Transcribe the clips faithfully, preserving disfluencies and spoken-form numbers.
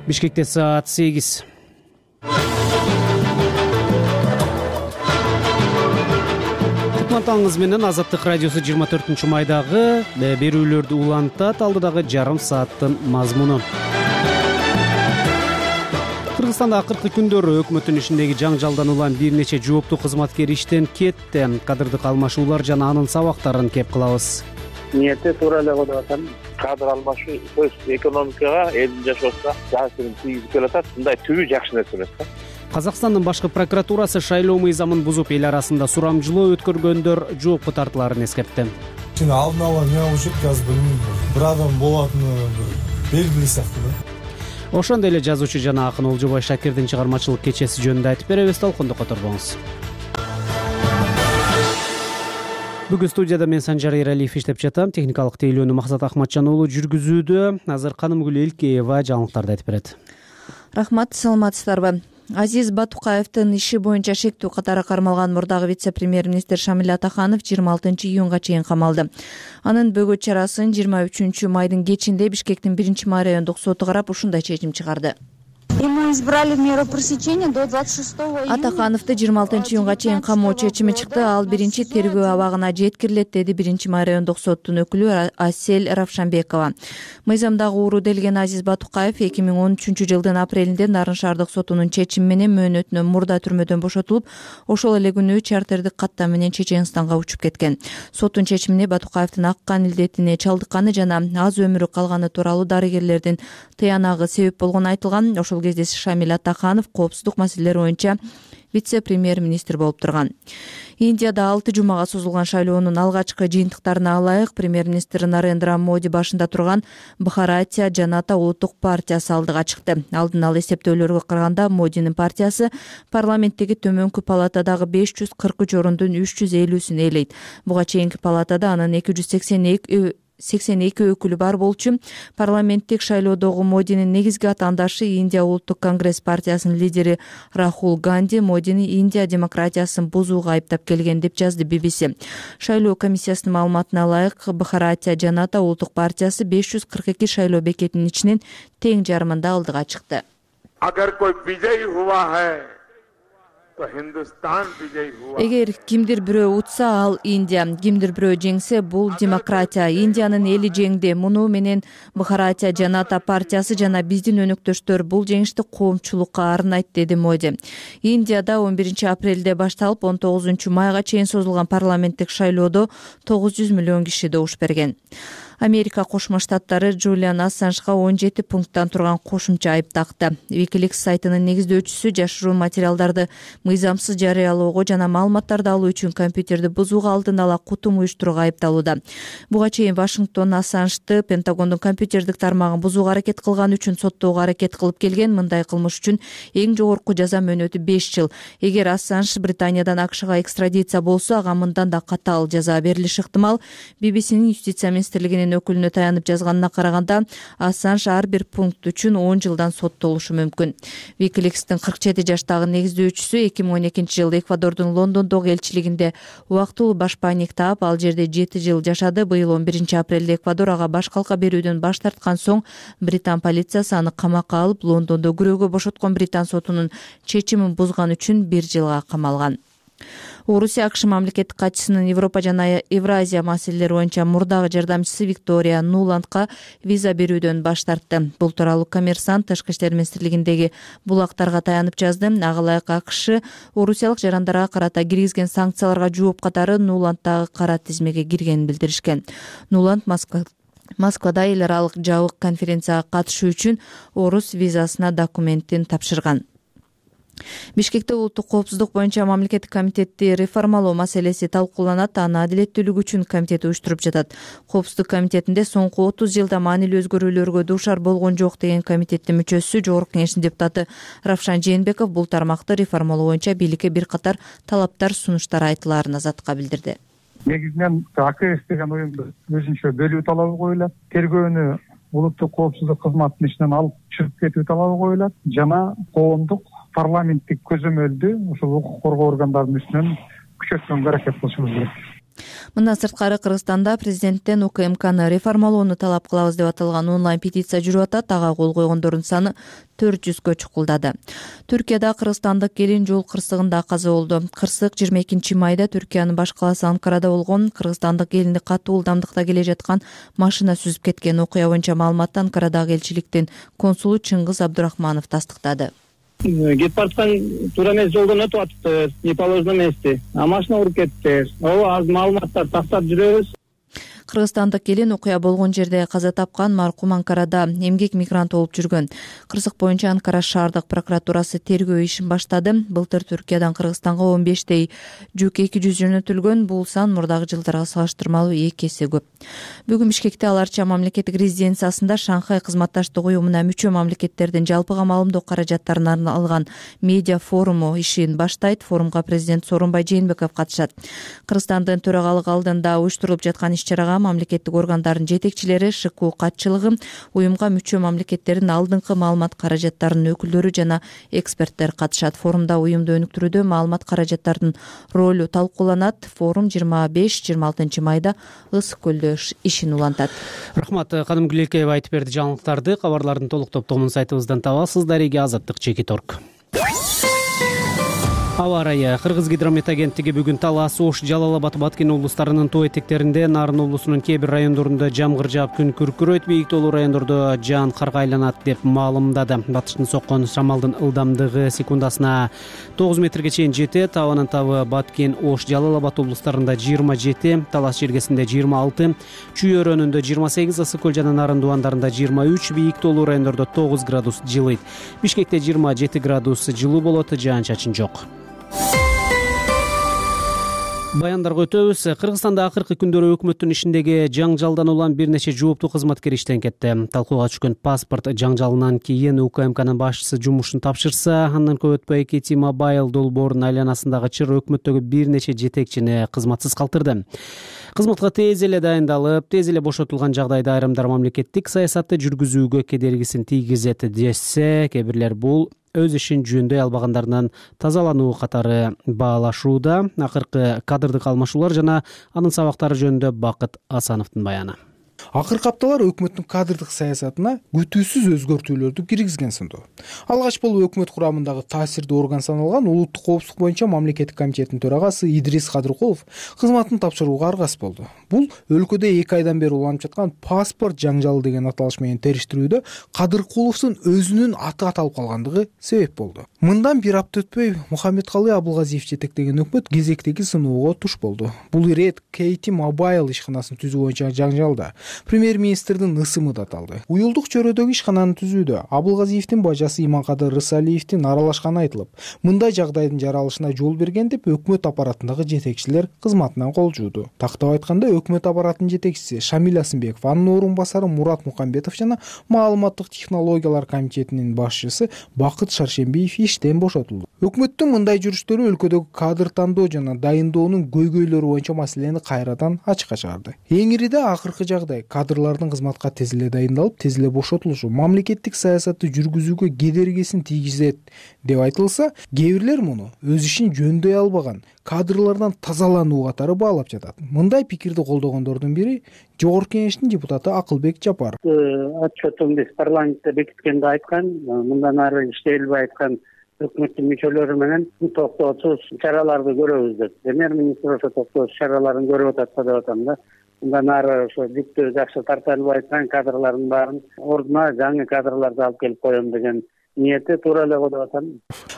Бишкекте саат сегиз. Кутман менен Азаттык радиосу жыйырма төртүнчү майдагы берүүлөрдү улантат. Алдыдагы жарым сааттын мазмуну. Кыргызстанда акыркы күндөрү өкмөттүн ишиндеги жаңжалдан улам бир нече жооптуу кызматкер иштен кетти. Кадырдык алмашуулар жана анын сабактарын кеп кылабыз. Ниети туура эле коюп атам. Кадр алмашуу сөз экономикага, элдин жашоосуна таасирин тийгизип келатат. Мындай түбү жакшы нерсе эмес да. Казакстандын башкы прокуратурасы шайлоо мыйзамын бузуп эл арасында сурамжылоо өткөргөндөр жоопко тартылаарын эскертти. Алдын ала эмне болуп жатат азыр билбейм. Бир адам болатыны белгилүү сыяктуу да. Ошондой эле жазуучу жана акын Олжобай Шакирдин чыгармачылык кечеси жөнүндө айтып беребиз. Толкунду которбоңуз. Бүгүн студияда мен Санжар Эралиев иштеп жатам. Техникалык тейлөөнү Максат Ахматжан уулу жүргүзүүдө. Азыр Канымгүл Элкеева жаңылыктарды айтып берет. Рахмат, саламатсыздарбы? Азиз Батукаевдин иши боюнча шектүү катары кармалган мурдагы вице-премьер-министр Шамиль Атаханов жыйырма алтынчы июнга чейин камалды. Анын бөгөт чарасын жыйырма үчүнчү майдын кечинде Бишкектин биринчи май райондук соту карап ушундай чечим чыгарды. И мы избрали меру пресечения до двадцать шестого июня. Атахановду жыйырма алтынчы июнга чейин камоо чечими чыкты. Ал биринчи тергөө абагына жеткирилет, деди биринчи май райондук соттун өкүлү Асель Равшанбекова. Мыйзамдагы ууру делген Азиз Батукаев эки миң он үчүнчү жылдын апрелинде Нарын шаардык сотунун чечими менен мөөнөтүнөн мурда түрмөдөн бошотулуп, ошол эле күнү чартердик каттам менен Чеченстанга учуп кеткен. Соттун чечимине Батукаевдин ак кан илдетине чалдыкканы жана аз өмүрү калганы тууралуу дарыгерлердин тыянагы себеп болгону айтылган. Ошол кезде Шамиль Атаханов коопсуздук маселелери боюнча вице-премьер-министр болуп турган. Индияда алты жумага созулган шайлоонун алгачкы жыйынтыктарына ылайык премьер-министр Нарендра Моди башында турган Бхаратия Жаната улуттук партиясы алдыга чыкты. Алдын ала эсептөөлөргө караганда Модинин партиясы парламенттеги төмөнкү палатадагы беш жүз кырк үч орундун үч жүз элүүсүн ээлейт. Буга чейинки палатада анын эки жүз сексен эки сексен эки өкүлү бар болчу. Парламенттик шайлоодогу Модинин негизги атаандашы Индия улуттук конгресс партиясынын лидери Рахул Ганди Модини Индия демократиясын бузууга айыптап келген деп жазды би би си. Шайлоо комиссиясынын маалыматына ылайык Бхаратия Жаната улуттук партиясы беш жүз кырк эки шайлоо бекетинин ичинен тең жарымында алдыга чыкты. Эгер кимдир бирөө утса, ал Индия, кимдир бирөө жеңсе, бул демократия. Индиянын эли жеңди. Муну менен Бхаратия Жаната партиясы жана биздин өнөктөштөр бул жеңишти коомчулукка арнайт, деди Моди. Индияда он биринчи апрелде башталып он тогузунчу майга чейин созулган парламенттик шайлоодо тогуз жүз миллион киши добуш берген. Америка Кошмо Штаттары Джулиан Ассанжга он жети пункттан турган кошумча айып такты. Wikileaks сайтынын негиздөөчүсү жашыруу материалдарды мыйзамсыз жарыялоого жана маалыматтарды алуу үчүн компьютерди бузууга алдын ала кутум уюштурууга айыпталууда. Буга чейин Вашингтон Ассанжды Пентагондун компьютердик тармагын бузууга аракет кылган үчүн соттоого аракет кылып келген. Мындай кылмыш үчүн эң жогорку жаза мөөнөтү беш жыл. Эгер Ассанж Британиядан АКШга экстрадиция болсо, ага мындан да катаал жаза берилиши ыктымал. би би синин юстиция министрлигинин өкүлүнө таянып жазганына караганда, Ассанж ар бир пункт үчүн он жылдан соттолушу мүмкүн. Wikileaks'тин кырк жети жаштагы негиздөөчүсү эки миң он экинчи жылы Эквадордун Лондондогу элчилигинде убактылуу башпаанник таап, ал жерде жети жыл жашады. Быйыл он биринчи апрелде Эквадор ага баш калка берүүдөн баш тарткан соң британ полициясы аны камакка алып, Лондондо күрөөгө бошоткон британ сотунун чечимин бузган үчүн бир жылга камалган. Орусия АКШ мамлекеттик катчысынын Европа жана Евразия маселелери боюнча мурдагы жардамчысы Виктория Нуландга виза берүүдөн баш тартты. Бул тууралуу Коммерсант Тышкы иштер министрлигиндеги булактарга таянып жазды. Ага ылайык АКШ орусиялык жарандарга карата киргизген санкцияларга жооп катары Нуланддагы кара тизмеге киргенин билдиришкен. Нуланд Москва Москвада эл аралык жабык конференцияга катышуу үчүн орус визасына документин тапшырган. Бишкекте улуттук коопсуздук боюнча мамлекеттик комитетти реформалоо маселеси талкууланат. Аны адилеттүүлүк үчүн комитет уюштуруп жатат. Коопсуздук комитетинде соңку отуз жылда маанилүү өзгөрүүлөргө дуушар болгон жок деген комитеттин мүчөсү, Жогорку Кеңештин депутаты Равшан Жээнбеков бул тармакты реформалоо боюнча бийликке бир катар талаптар, сунуштар айтылаарын Азатка билдирди. Негизинен АКС деген оюнду өзүнчө бөлүү талабы коюлат. Тергөөнү улуттук коопсуздук кызматынын ичинен алып чыгып кетүү талабы коюлат жана коомдук парламенттик көзөмөлдү ушул укук коргоо органдарынын үстүнөн күчөткөнгө аракет кылышыбыз керек. Мындан сырткары Кыргызстанда президенттен У К М Кны реформалоону талап кылабыз деп аталган онлайн петиция жүрүп атат. Ага кол койгондордун саны төрт жүзгө чукулдады. Түркияда кыргызстандык келин жол кырсыгында каза болду. Кырсык жыйырма экинчи майда Түркиянын баш калаасы Анкарада болгон. Кыргызстандык келинди катуу ылдамдыкта келе жаткан машина сүзүп кеткен. Окуя боюнча маалыматты Анкарадагы элчиликтин консулу Чыңгыз Абдурахманов тастыктады. Кетип бараткан туура эмес жолдон өтүп атыптыр, не положено эмести. А машина уруп кетти. Ооба, азыр маалыматтар тактап жүрөбүз. Кыргызстандык келин окуя болгон жерде каза тапкан. Маркум Анкарада эмгек мигранты болуп жүргөн. Кырсык боюнча Анкара шаардык прокуратурасы тергөө ишин баштады. Былтыр Түркиядан Кыргызстанга он бештей жүк эки жүз жөнөтүлгөн. Бул сан мурдагы жылдарга салыштырмалуу эки эсе көп. Бүгүн Бишкекте аларча мамлекеттик резиденциясында Шанхай кызматташтык уюмуна мүчө мамлекеттердин жалпыга маалымдоо каражаттарын алган медиа форуму ишин баштайт. Форумга президент Сооронбай Жээнбеков катышат. Кыргызстандын төрагалыгы алдында уюштурулуп жаткан иш-чарага мамлекеттик органдардын жетекчилери, Ш К катчылыгы, уюмга мүчө мамлекеттердин алдыңкы маалымат каражаттарынын өкүлдөрү жана эксперттер катышат. Форумда уюмду өнүктүрүүдө маалымат каражаттарынын ролу талкууланат. Форум жыйырма беш жыйырма алтынчы майда Ысык көлдө ишин улантат. Рахмат, Кадым Гүлекеева айтып берди жаңылыктарды. Кабарлардын толук топтомун сайтыбыздан табасыз. Дареги Азаттык Чекит орг. Аба ырайы. Кыргыз гидромет агенттиги бүгүн Талас, Ош, Жалал Абад, Баткен облустарынын тоо этектеринде, Нарын облусунун кээ бир райондорунда жамгыр жаап күн күркүрөйт, бийик тоолуу райондордо жаан карга айланат деп маалымдады. Батыштын соккон шамалдын ылдамдыгы секундасына тогуз метрге чейин жетет. Абанын табы Баткен, Ош, Жалал Абад облустарында жыйырма жети, Талас жергесинде жыйырма алты, Чүй өрөөнүндө жыйырма сегиз, Ысык көл жана Нарын дубандарында жыйырма үч, бийик тоолуу райондордо тогуз градус жылыйт. Бишкекте жыйырма жети градус жылуу болот, жаан-чачын жок. Баяндарга өтөбүз. Кыргызстанда акыркы күндөрү өкмөттүн ишиндеги жаңжалдан улам бир нече жооптуу кызматкер иштен кетти. Талкууга түшкөн паспорт жаңжалынан кийин У К М Кнын башчысы жумушун тапшырса, андан көп өтпөй К Т Mobile долбоорунун айланасындагы чыр өкмөттөгү бир нече жетекчини кызматсыз калтырды. Кызматка тез эле дайындалып, тез эле бошотулган жагдайда айрымдар мамлекеттик саясатты жүргүзүүгө кедергисин тийгизет десе, кээ бирлер бул өз ишин жөндөй албагандарынан тазалануу катары баалашууда. Акыркы кадрдык алмашуулар жана анын сабактары жөнүндө Бакыт Асановдун баяны. Акыркы апталар өкмөттүн кадрдык саясатына күтүүсүз өзгөртүүлөрдү киргизген сынды. Алгач болуп өкмөт курамындагы таасирдүү орган саналган Улуттук коопсуздук боюнча мамлекеттик комитеттин төрагасы Идрис Кадыркулов кызматын тапшырууга аргасыз болду. Бул өлкөдө эки айдан бери уланып жаткан паспорт жаңжалы деген аталыш менен териштирүүдө Кадыркуловдун өзүнүн аты аталып калгандыгы себеп болду. Мындан бир апта өтпөй Мухаммедкалый Абылгазиев жетектеген өкмөт кезектеги сыноого туш болду. Бул ирет К Т Mobile ишканасын түзүү боюнча жаңжалда премьер-министрдин ысымы да аталды. Уюлдук чөйрөдөгү ишкананы түзүүдө Абылгазиевдин бажасы Иманкадыр Рысалиевдин аралашканы айтылып, мындай жагдайдын жаралышына жол берген деп өкмөт аппаратындагы жетекчилер кызматынан кол жууду. Тактап айтканда, өкмөт аппаратынын жетекчиси Шамил Асымбеков, анын орун басары Мурат Мукамбетов жана маалыматтык технологиялар комитетинин башчысы Бакыт Шаршембиев иштен бошотулду. Өкмөттүн мындай жүрүштөрү өлкөдөгү кадр тандоо жана дайындоонун көйгөйлөрү боюнча маселени кайрадан ачыкка чыгарды. Эң ириде акыркы жагдай кадрлардын кызматка тез эле дайындалып, тез эле бошотулушу мамлекеттик саясатты жүргүзүүгө кедергисин тийгизет деп айтылса, кээ бирлер муну өз ишин жөндөй албаган кадрлардан тазалануу катары баалап жатат. Мындай пикирди колдогондордун бири Жогорку Кеңештин депутаты Акылбек Жапаров. Отчетун биз парламентте бекиткенде айткан, мындан ары иштей албай айткан өкмөттүн мүчөлөрү менен токтоосуз чараларды көрөбүз деп. Премьер-министр ошо токтоосуз чараларын көрүп атат деп атам да. Мындан ары ошо бүттү жакшы тарта албай айткан кадрлардын баарын ордуна жаңы кадрларды алып келип коем деген ниети туура эле го деп атам.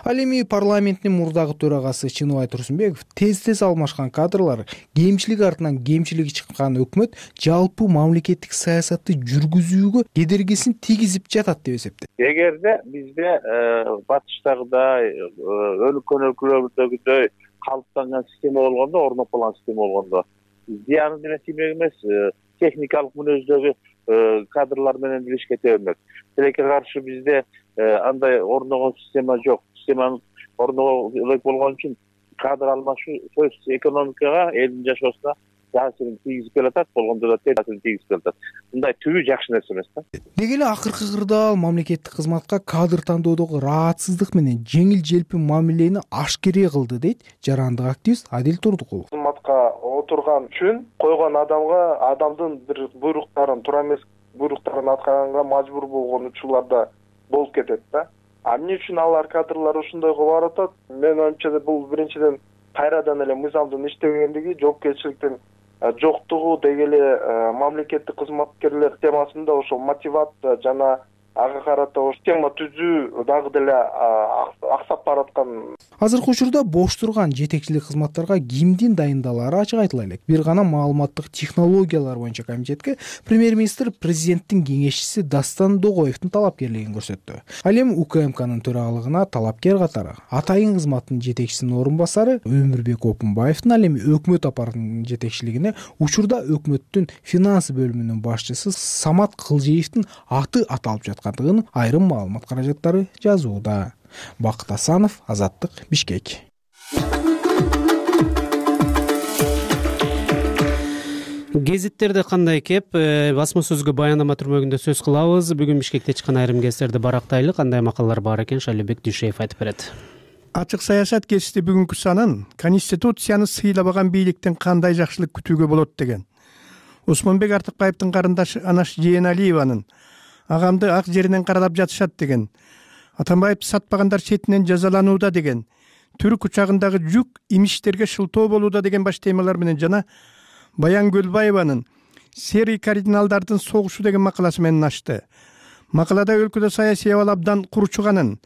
Ал эми парламенттин мурдагы төрагасы Чыныбай Турсунбеков тез-тез алмашкан кадрлар, кемчилик артынан кемчилиги чыккан өкмөт жалпы мамлекеттик саясатты жүргүзүүгө кедергисин тийгизип жатат деп эсептейт. Эгерде бизде батыштагыдай өлкө өлкөлөрдөгүдөй калыптанган система болгондо, орноп калган система болгондо зыяны деле тиймек эмес, техникалык мүнөздөгү кадрлар менен деле ишке тебенбек. Тилекке каршы бизде андай орногон система жок. Системаны орногон элек болгон үчүн кадр алмашуу сөз экономикага, элдин жашоосуна таасирин тийгизип келатат, болгондо да таасирин тийгизип келатат. Мындай түбү жакшы нерсе эмес да. Деги эле акыркы кырдаал мамлекеттик кызматка кадр тандоодогу ыраатсыздык менен жеңил желпи мамилени ашкере кылды дейт жарандык активист Адил Турдукулов. Кызматка отурган үчүн койгон адамга адамдын бир буйруктарын туура эмес буйруктарын аткарганга мажбур болгон учурларда болуп кетет да. А эмне үчүн алар кадрлар ушундай кылып атат? Менин оюмча бул биринчиден кайрадан эле мыйзамдын иштебегендиги, жоопкерчиликтин жоктугу, деги эле мамлекеттик кызматкерлер темасында ошол мотивация жана ага карата ошо тема түзүү дагы деле аксап бараткан. Азыркы учурда бош турган жетекчилик кызматтарга кимдин дайындалаары ачык айтыла элек. Бир гана маалыматтык технологиялар боюнча комитетке премьер-министр президенттин кеңешчиси Дастан Догоевдин талапкерлигин көрсөттү. Ал эми УКМКнын төрагалыгына талапкер катары атайын кызматтын жетекчисинин орун басары Өмүрбек Опунбаевдин, ал эми өкмөт аппаратынын жетекчилигине учурда өкмөттүн финансы бөлүмүнүн башчысы Самат Кылжиевдин аты аталып жаткандыгын айрым маалымат каражаттары жазууда. Бакыт Асанов, Азаттык, Бишкек. Гезиттерде кандай кеп, басма сөзгө баяндама түрмөгүндө сөз кылабыз. Бүгүн Бишкекте чыккан айрым гезиттерди барактайлы, кандай макалалар бар экен Шайлебек Дүйшеев айтып берет. Ачык саясат гезити бүгүнкү санын Конституцияны сыйлабаган бийликтен кандай жакшылык күтүүгө болот деген. Осмонбек Артыкбаевдин карындашы Анаш Жээналиеванын агамды ак жеринен каралап жатышат деген, Атамбаевди сатпагандар четинен жазаланууда деген, түрк учагындагы жүк имиштерге шылтоо болууда деген баш темалар менен жана Баян Көлбаеванын серый кардиналдардын согушу деген макаласы менен ачты. Макалада өлкөдө саясий абал абдан курчуганын,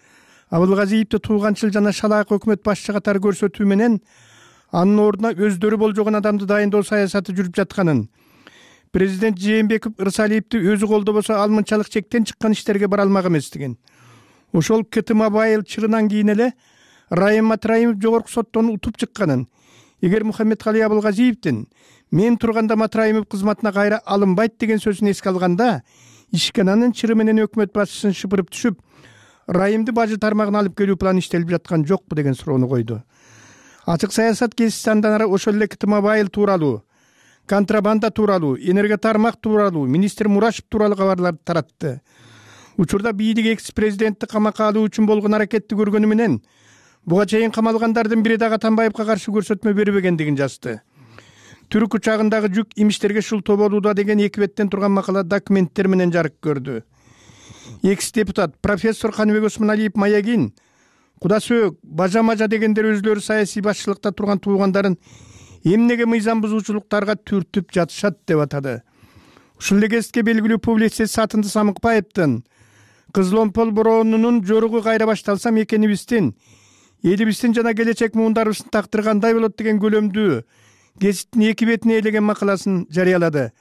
Абылгазиевди тууганчыл жана шалаак өкмөт башчы катары көрсөтүү менен анын ордуна өздөрү болжогон адамды дайындоо саясаты жүрүп жатканын, президент Жээнбеков Ырсалиевди өзү колдобосо ал мынчалык чектен чыккан иштерге бара алмак эместигин, ошол КТ Мобайл чырынан кийин эле Райым Матраимов жогорку соттон утуп чыкканын, эгер Мухаммедкалый Абылгазиевдин мен турганда Матраимов кызматына кайра алынбайт деген сөзүн эске алганда, ишкананын чыры менен өкмөт башчысын шыпырып түшүп, Райымды бажы тармагына алып келүү планы иштелип жаткан жокпу деген суроону койду. Ачык саясат гезити андан ары ошол эле КТ Мобайл тууралуу, контрабанда тууралуу, энерго тармак тууралуу, министр Мурашев тууралуу кабарларды таратты. Учурда бийлик экс-президентти камакка алуу үчүн болгон аракетти көргөнү менен буга чейин камалгандардын бири дагы Атамбаевга каршы көрсөтмө бербегендигин жазды. Түрк учагындагы жүк имиштерге шылтоо болууда деген эки беттен турган макала документтер менен жарык көрдү. Экс-депутат профессор Каныбек Осмоналиев Маягин, Кудасөөк, Бажа-мажа дегендер өзлөрү саясий башчылыкта турган туугандарын эмнеге мыйзам бузуучулуктарга түртүп жатышат деп атады. Ушул эле кезге белгилүү публицист Сатынды Самыкбаевдин Кызыломпол бороонунун жоругу кайра башталсам экенибиздин, элибиздин жана келечек муундарыбыздын тактыры кандай болот деген көлөмдүү гезиттин эки бетине ээлеген макаласын жарыялады.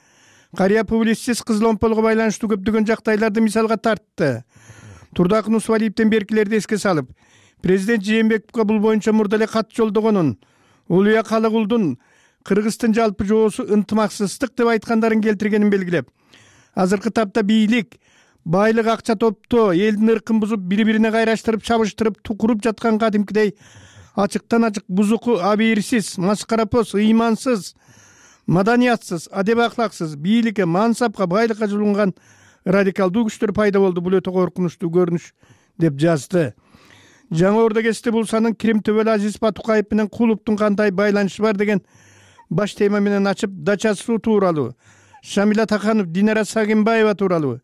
Карыя публицист Кызыломполго байланыштуу көптөгөн жактайларды мисалга тартты. Турдакын Усвалиевден беркилерди эске салып, президент Жээнбековго бул боюнча мурда эле кат жолдогонун, Улуя Калыгулдун Кыргыздын жалпы жоосу ынтымаксыздык деп айткандарын келтиргенин белгилеп, азыркы тапта бийлик байлык акча топтоо, элдин ыркын бузуп, бири-бирине кайраштырып, чабыштырып, тукуруп жаткан кадимкидей ачыктан ачык бузуку, абийирсиз, маскарапоз, ыймансыз, маданиятсыз, адеп ахлаксыз, бийликке, мансапка, байлыкка жулунган радикалдуу күчтөр пайда болду. Бул өтө коркунучтуу көрүнүш деп жазды. Жаңы Ордо гезити бул санын Крим төбөлү Азиз Батукаев менен Кулуптун кандай байланышы бар деген баш тема менен ачып, Дача суу тууралуу, Шамиля Таканов, Динара Сагимбаева тууралуу,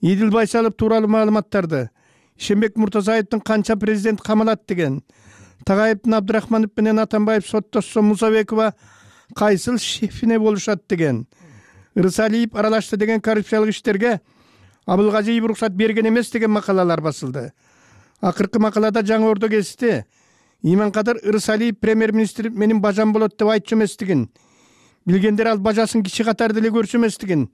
Идил Байсалов тууралуу маалыматтарды, Ишенбек Муртазаевдин канча президент камалат деген, Тагаевдин Абдырахманов менен Атамбаев соттошсо Мусабекова кайсыл шефине болушат деген, Ырсалиев аралашты деген коррупциялык иштерге Абылгазиев уруксат берген эмес деген макалалар басылды. Акыркы макалада Жаңы Ордо гезити Иманкадыр Ырсалиев премьер-министр менин бажам болот деп айтчу эместигин, билгендер ал бажасын кичи катарды эле көрчү эместигин,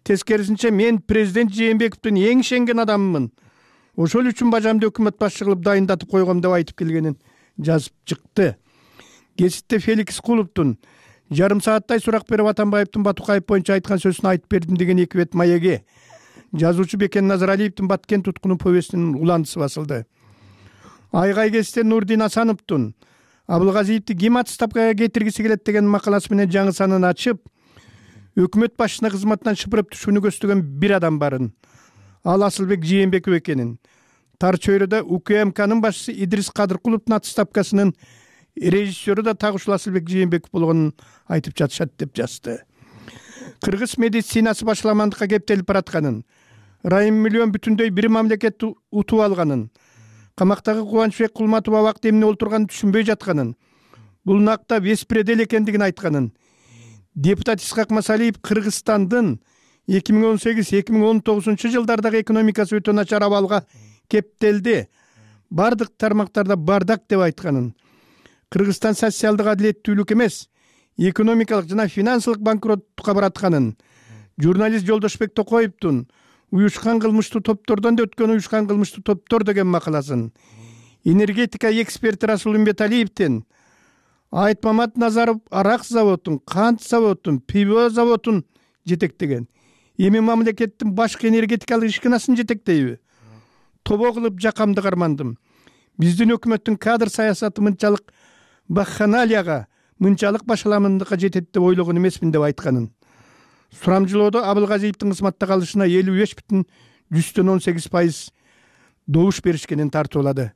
тескерисинче мен президент Жээнбековдун эң ишенген адаммын, ошол үчүн бажамды өкмөт башчы кылып дайындатып койгом деп айтып келгенин жазып чыкты. Гезитте Феликс Кулуптун жарым сааттай сурак берип Атамбаевдин Батукаев боюнча айткан сөзүн айтып бердим деген эки бет маеги, жазуучу Бекен Назаралиевдин Баткен туткуну повестинин уландысы басылды. Айгай гезитте Нурдин Асановдун Абылгазиевди ким отставкага кетиргиси келет деген макаласы менен жаңы санын ачып, өкмөт башчысына кызматтан шыпырып түшүүнү көздөгөн бир адам барын, ал Асылбек Жээнбеков экенин, тар чөйрөдө УКМКнын башчысы Идрис Кадыркуловдун отставкасынын режиссеру да так ушул Асылбек Жээнбеков болгонун айтып жатышат деп жазды. Кыргыз медицинасы башаламандыкка кептелип баратканын, Райым миллион бүтүндөй бир мамлекетти утуп алганын, камактагы Кубанычбек Кулматов абакта эмне олтурганын түшүнбөй жатканын, бул накта беспредел экендигин айтканын, депутат Исхак Масалиев Кыргызстандын эки миң он сегиз эки миң он тогузунчу жылдардагы экономикасы өтө начар абалга кептелди, бардык тармактарда бардак деп айтканын, Кыргызстан социалдык адилеттүүлүк эмес, экономикалык жана финансылык банкроттукка баратканын, журналист Жолдошбек Токоевдун уюшкан кылмыштуу топтордон да өткөн уюшкан кылмыштуу топтор деген макаласын, энергетика эксперти Расул Умбеталиевдин Айтмамат Назаров арак заводун, кант заводун, пиво заводун жетектеген, эми мамлекеттин башкы энергетикалык ишканасын жетектейби? Тобо кылып жакамды кармандым. Биздин өкмөттүн кадр саясаты мынчалык баханалияга, мынчалык башаламандыкка жетет деп ойлогон эмесмин деп айтканын. Сурамжылоодо Абылгазиевдин кызматта калышына элүү беш бүтүн жүздөн он сегиз пайыз добуш беришкенин тартуулады.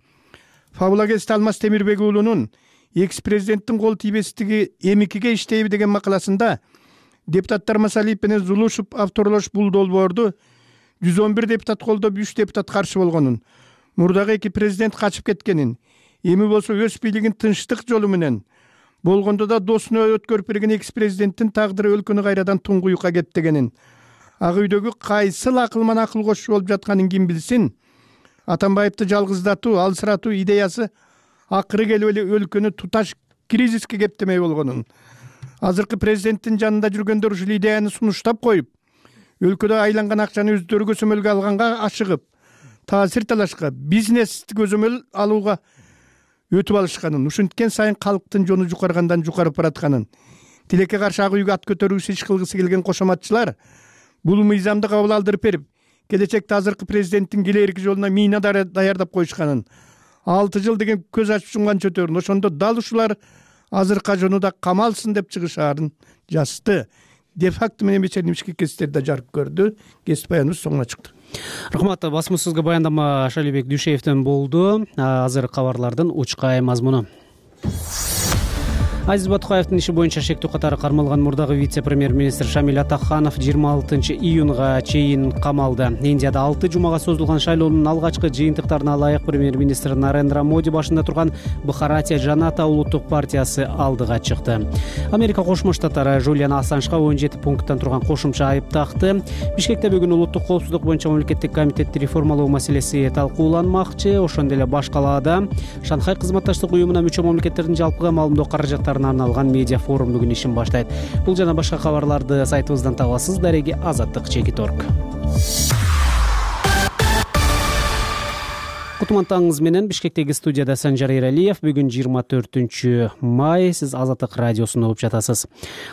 Фабулагест Алмаз Темирбек уулунун экс-президенттин кол тийбестиги эмикиге иштейби деген макаласында депутаттар Масалиев менен Зулушев авторлош бул долбоорду жүз он бир депутат колдоп, үч депутат каршы болгонун, мурдагы эки президент качып кеткенин, эми болсо өз бийлигин тынчтык жолу менен болгондо да досуна өткөрүп берген экс-президенттин тагдыры өлкөнү кайрадан туңгуюкка кептегенин, ак үйдөгү кайсыл акылман акыл кошчу болуп жатканын ким билсин, Атамбаевди жалгыздатуу, алсыратуу идеясы акыры келип эле өлкөнү туташ кризиске кептемей болгонун, азыркы президенттин жанында жүргөндөр ушул идеяны сунуштап коюп, өлкөдө айланган акчаны өздөрү көзөмөлгө алганга ашыгып, таасир талашка, бизнести көзөмөл алууга өтүп алышканын, ушинткен сайын калктын жону жукаргандан жукарып баратканын, тилекке каршы ак үйгө ат көтөрүүсү иш кылгысы келген кошоматчылар бул мыйзамды кабыл алдырып берип, келечекте азыркы президенттин келээрки жолуна мина даярдап коюшканын, алты жыл деген көз ачып жумган чөтөрүн, ошондо дал ушулар азыркы жонуда камалсын деп чыгышаарын жазды. Де факто менен вечернимский кестерде жарык көрдү. Кесип баяныбыз соңуна чыкты. Рахмат, басмасызга баяндама Шалибек Дүйшеевден болду. Азыр кабарлардын учкай мазмуну. Азиз Батукаевдин иши боюнча шектүү катары кармалган мурдагы вице-премьер-министр Шамиль Атаханов жыйырма алтынчы июнга чейин камалды. Индияда алты жумага созулган шайлоонун алгачкы жыйынтыктарына ылайык премьер-министр Нарендра Моди башында турган Бхаратия Жаната улуттук партиясы алдыга чыкты. Америка Кошмо Штаттары Жулиан Ассанжга он жети пункттан турган кошумча айып такты. Бишкекте бүгүн улуттук коопсуздук боюнча мамлекеттик комитетти реформалоо маселеси талкууланмакчы. Ошондой эле баш калаада Шанхай кызматташтык уюмуна мүчө мамлекеттердин жалпыга маалымдоо каражаттары арналган медиа форум бүгүн ишин баштайт. Бул жана башка кабарларды сайтыбыздан табасыз. Дареги Азаттык Чекит орг. Кутмантаңыз менен Бишкектеги студияда Санжар Эралиев. Бүгүн жыйырма төртүнчү май. Сиз Азаттык радиосун угуп жатасыз.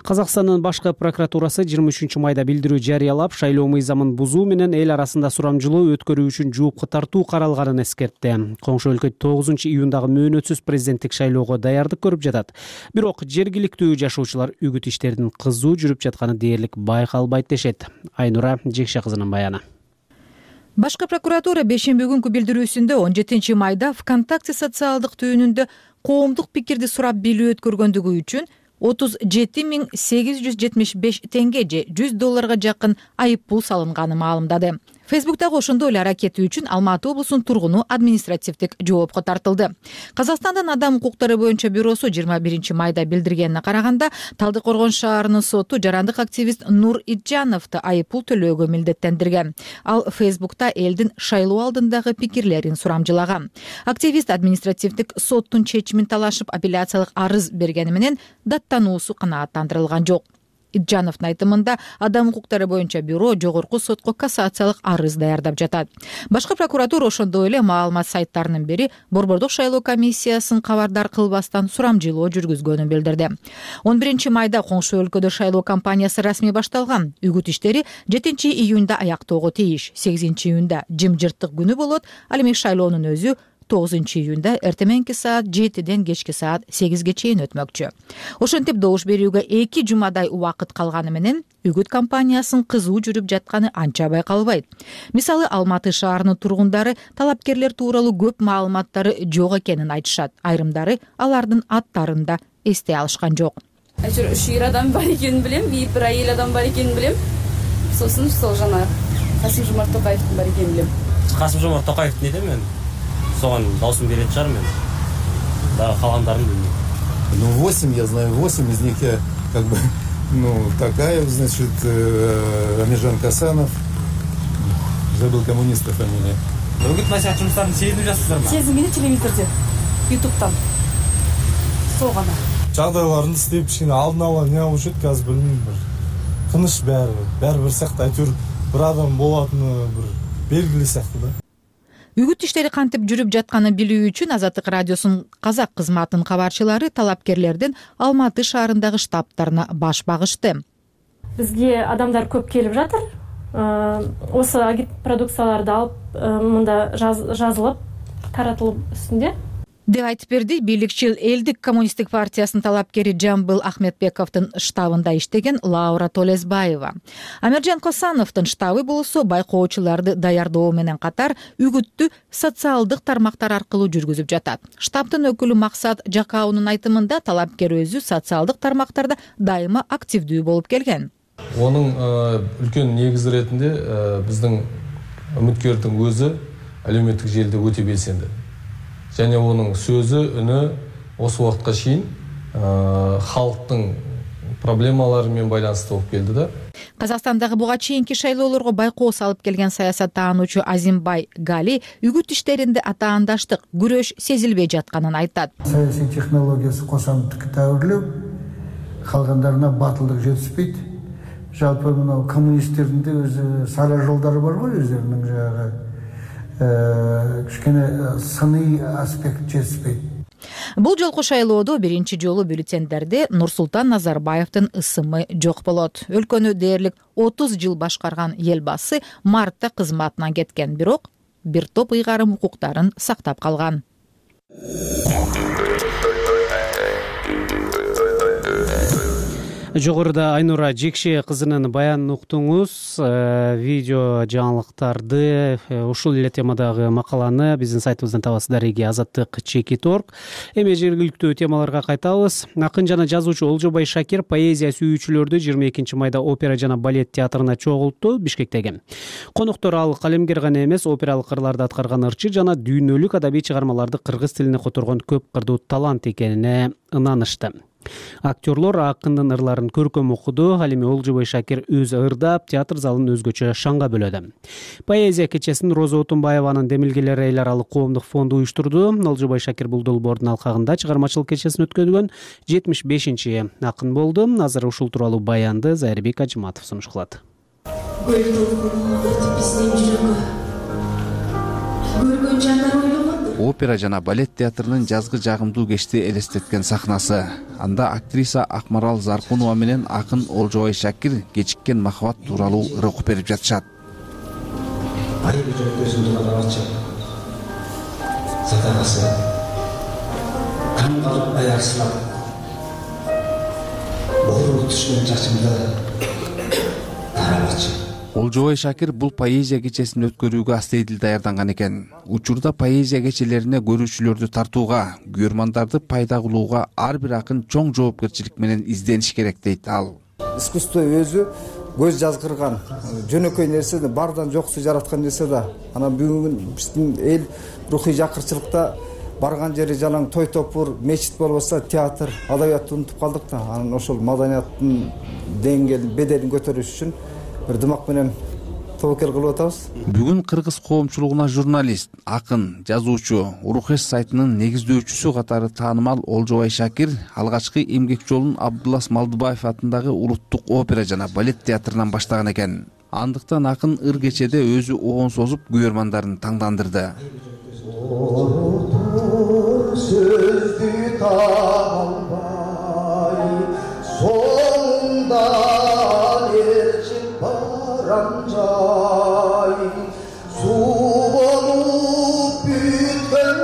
Казакстандын башкы прокуратурасы жыйырма үчүнчү майда билдирүү жарыялап, шайлоо мыйзамын бузуу менен эл арасында сурамжылоо өткөрүү үчүн жоопко тартуу каралганын эскертти. Коңшу өлкө тогузунчу июндагы мөөнөтсүз президенттик шайлоого даярдык көрүп жатат. Бирок жергиликтүү жашоочулар үгүт иштеринин кызуу жүрүп жатканы дээрлик байкалбайт дешет. Айнура Жекше кызынын баяны. Башкы прокуратура бешемби күнкү билдирүүсүндө он жетинчи майда ВКонтакте социалдык түйүнүндө коомдук пикирди сурап билүү өткөргөндүгү үчүн отуз жети миң сегиз жүз жетимиш беш теңге же жүз долларга жакын айып пул салынганын маалымдады. Фейсбуктагы ошондой эле аракети үчүн Алматы облусунун тургуну административдик жоопко тартылды. Казакстандын адам укуктары боюнча бюросу жыйырма биринчи майда билдиргенине караганда, Талдыкоргон шаарынын соту жарандык активист Нур Итжановду айып пул төлөөгө милдеттендирген. Ал Фейсбукта элдин шайлоо алдындагы пикирлерин сурамжылаган. Активист административдик соттун чечимин талашып апелляциялык арыз бергени менен даттануусу канааттандырылган жок. Итжановдун айтымында адам укуктары боюнча бюро жогорку сотко кассациялык арыз даярдап жатат. Башкы прокуратура ошондой эле маалымат сайттарынын бири Борбордук шайлоо комиссиясын кабардар кылбастан сурамжылоо жүргүзгөнүн билдирди. он биринчи майда коңшу өлкөдө шайлоо кампаниясы расмий башталган. Үгүт иштери жетинчи июнда аяктоого тийиш. сегизинчи июнда жымжырттык күнү болот. Ал эми шайлоонун өзү тогузунчу июнда эртеменки саат жетиден кечки саат сегизге чейин өтмөкчү. Ошентип добуш берүүгө эки жумадай убакыт калганы менен үгүт кампаниясынын кызуу жүрүп жатканы анча байкалбайт. Мисалы, Алматы шаарынын тургундары талапкерлер тууралуу көп маалыматтары жок экенин айтышат. Айрымдары алардын аттарын да эстей алышкан жок. Әйтеуір үш ер адам бар екенін білем, бир әйел адам бар екенін білем. Сосын сол жана Касым-Жомарт Токаевтың бар екенін білем. Касым-Жомарт Токаев не дейм мен? Соған даусым беретін шығар мен. Да, қалғандарын білмеймін. Ну, восемь, я знаю восемь, из них я как бы, ну, Токаев, значит, Амиржан Касанов, забыл коммуниста фамилия. Үгіт насихат жұмыстарын сезініп жассыздар ма? Сезінбейді телевизорде, ютубтан. Сол ғана. Жағдайларын істеп, кішкене алдын ала не алып жүреді, қазір білмеймін, бір тыныш бәрі, бәрі бір сияқты, әйтеуір бір адам болатыны бір белгілі сияқты да. Үгүт иштери кантип жүрүп жатканын билүү үчүн Азаттык радиосунун казак кызматынын кабарчылары талапкерлердин Алматы шаарындагы штабтарына баш багышты. Бизге адамдар көп келип жатыр. Осы агит продукцияларды алып, мында жазылып, таратылып үстүндө деп айтып берди бийликчил Элдик коммунисттик партиясынын талапкери Жамбыл Ахметбековдун штабында иштеген Лаура Толесбаева. Амиржан Косановдун штабы болсо байкоочуларды даярдоо менен катар үгүттү социалдык тармактар аркылуу жүргүзүп жатат. Штабтын өкүлү Максат Жакаунун айтымында талапкер өзү социалдык тармактарда дайыма активдүү болуп келген. Онун үлкөн негизи иретинде биздин үмүткөрдүн өзү әлеуметтик желиде өтө белсенди. Және оның сөзі, үні осы уақытқа шейін халықтың проблемаларымен байланысты болып келді да. Казакстандагы буга чейинки шайлоолорго байкоо салып келген саясаттаануучу Азимбай Гали үгүт иштеринде атаандаштык, күрөш сезилбей жатканын айтат. Саясий технологиясы кошомтук тәуірлеу, калгандарына батылдык жетиспейт. Жалпы мынау коммунисттердин де өзү сара жолдары бар ғой, өздеринин жагы. Кішкене сыни аспект жетіспейт. Бул жолку шайлоодо биринчи жолу бюллетендерде Нурсултан Назарбаевдин ысымы жок болот. Өлкөнү дээрлик отуз жыл башкарган элбасы мартта кызматынан кеткен, бирок бир топ ыйгарым укуктарын сактап калган. Жогоруда Айнура Жекше кызынын баянын уктуңуз. Видео жаңылыктарды, ушул эле темадагы макаланы биздин сайтыбыздан табасыздар. Эги Азаттык чекит точка орг. Эми жергиликтүү темаларга кайтабыз. Акын жана жазуучу Олжобай Шакир поэзия сүйүүчүлөрдү жыйырма экинчи майда опера жана балет театрына чогултту Бишкектеги. Коноктор ал калемгер гана эмес, опералык кырларда аткарган ырчы жана дүйнөлүк адабий чыгармаларды кыргыз тилине которгон көп кырдуу талант экенине ынанышты. Актерлор акындын ырларын көркөм окуду. Ал эми Олжобай Шакир өз ырдап, театр залын өзгөчө шаңга бөлөдү. Поэзия кечесин Роза Отунбаеванын Демилгелер эл аралык коомдук фонду уюштурду. Олжобай Шакир бул долбоордун алкагында чыгармачылык кечесин өткөргөн жетимиш бешинчи акын болду. Азыр ушул тууралуу баянды Зайырбек Ажыматов сунуш кылат. Опера жана балет театрынын жазгы жагымдуу кечти элестеткен сахнасы. Анда актриса Акмарал Заркунова менен акын Олжобай Шакир кечиккен махабат тууралуу ыр окуп берип жатышат. Олжобай Шакир бул поэзия кечесин өткөрүүгө астейдил даярданган экен. Учурда поэзия кечелерине көрүүчүлөрдү тартууга, күйөрмандарды пайда кылууга ар бир акын чоң жоопкерчилик менен издениш керек дейт ал. Искусство өзү көз жазгырган, жөнөкөй нерсе бардан жоксу жараткан нерсе да. Анан бүгүн биздин эл рухий жакырчылыкта барган жери жалаң той топур, мечит болбосо театр, адабиятты унутуп калдык да. Анан ошол маданияттын деңгээлин, беделин көтөрүш үчүн бир дымак менен тобокел кылып атабыз. Бүгүн кыргыз коомчулугуна журналист, акын, жазуучу, Урухеш сайтынын негиздөөчүсү катары таанымал Олжобай Шакир алгачкы эмгек жолун Абдулас Малдыбаев атындагы Улуттук опера жана балет театрынан баштаган экен. Андыктан акын ыр кечеде өзү оон созуп күйөрмандарын таңдандырды. Суу болуп бүткөн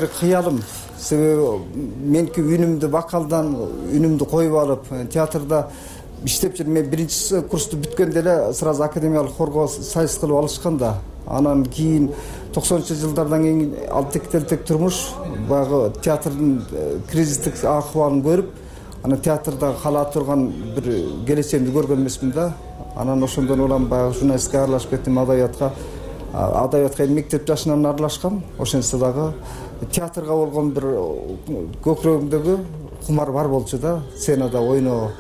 бир кыялым. Себеби меники үнүмдү вокалдан үнүмдү коюп алып театрда иштеп жүрүп, мен биринчи курсту бүткөндө эле сразу академиялык хорго сайыс кылып алышкан да. Анан кийин токсонунчу жылдардан кийин ал тектелтек турмуш баягы театрдын кризистик акыбалын көрүп, анан театрда кала турган бир келечегимди көргөн эмесмин да. Анан ошондон улам баягы журналистикага аралашып кеттим, адабиятка. Адабиятка мектеп жашынан аралашкам. Ошентсе дагы театрга болгон бир көкүрөгүмдөгү кумар бар болчу да, сценада ойноо.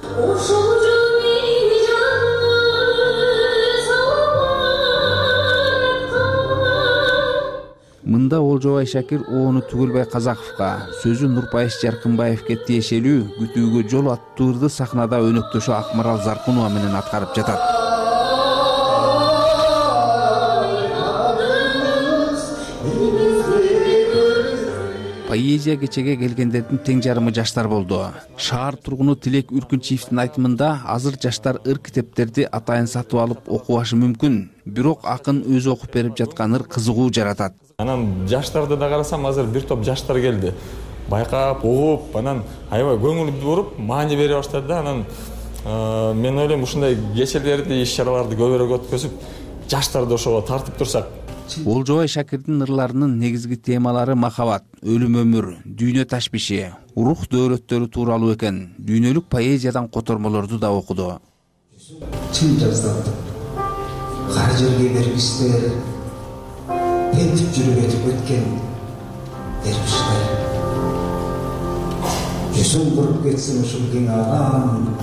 Мында Олжобай Шакир оону Түгөлбай Казаковго, сөзү Нурпайыш Жаркынбаевке тиешелүү күтүүгө жол аттуу ырды сахнада өнөктөшү Акмарал Заркунова менен аткарып жатат. Поэзия кечеге келгендердин тең жарымы жаштар болду. Шаар тургуну Тилек Үркүнчиевдин айтымында азыр жаштар ыр китептерди атайын сатып алып окубашы мүмкүн, бирок акын өзү окуп берип жаткан ыр кызыгуу жаратат. Анан жаштарды да карасам, азыр бир топ жаштар келди. Байкап, угуп, анан аябай көңүл буруп, маани бере баштады да. Анан мен ойлойм, ушундай кечелерди, иш-чараларды көбүрөөк өткөзүп, жаштарды ошого тартып турсак. Олжобай Шакирдин ырларынын негизги темалары махабат, өлүм өмүр, дүйнө ташбиши, рух дөөрөттөрү тууралуу экен. Дүйнөлүк поэзиядан котормолорду да окуду. Чын жаздалды. Кар жерге бергистер, бентип жүрүп өтүп өткен дербиштер. Жүзүң куруп кетсин ушул кең алам,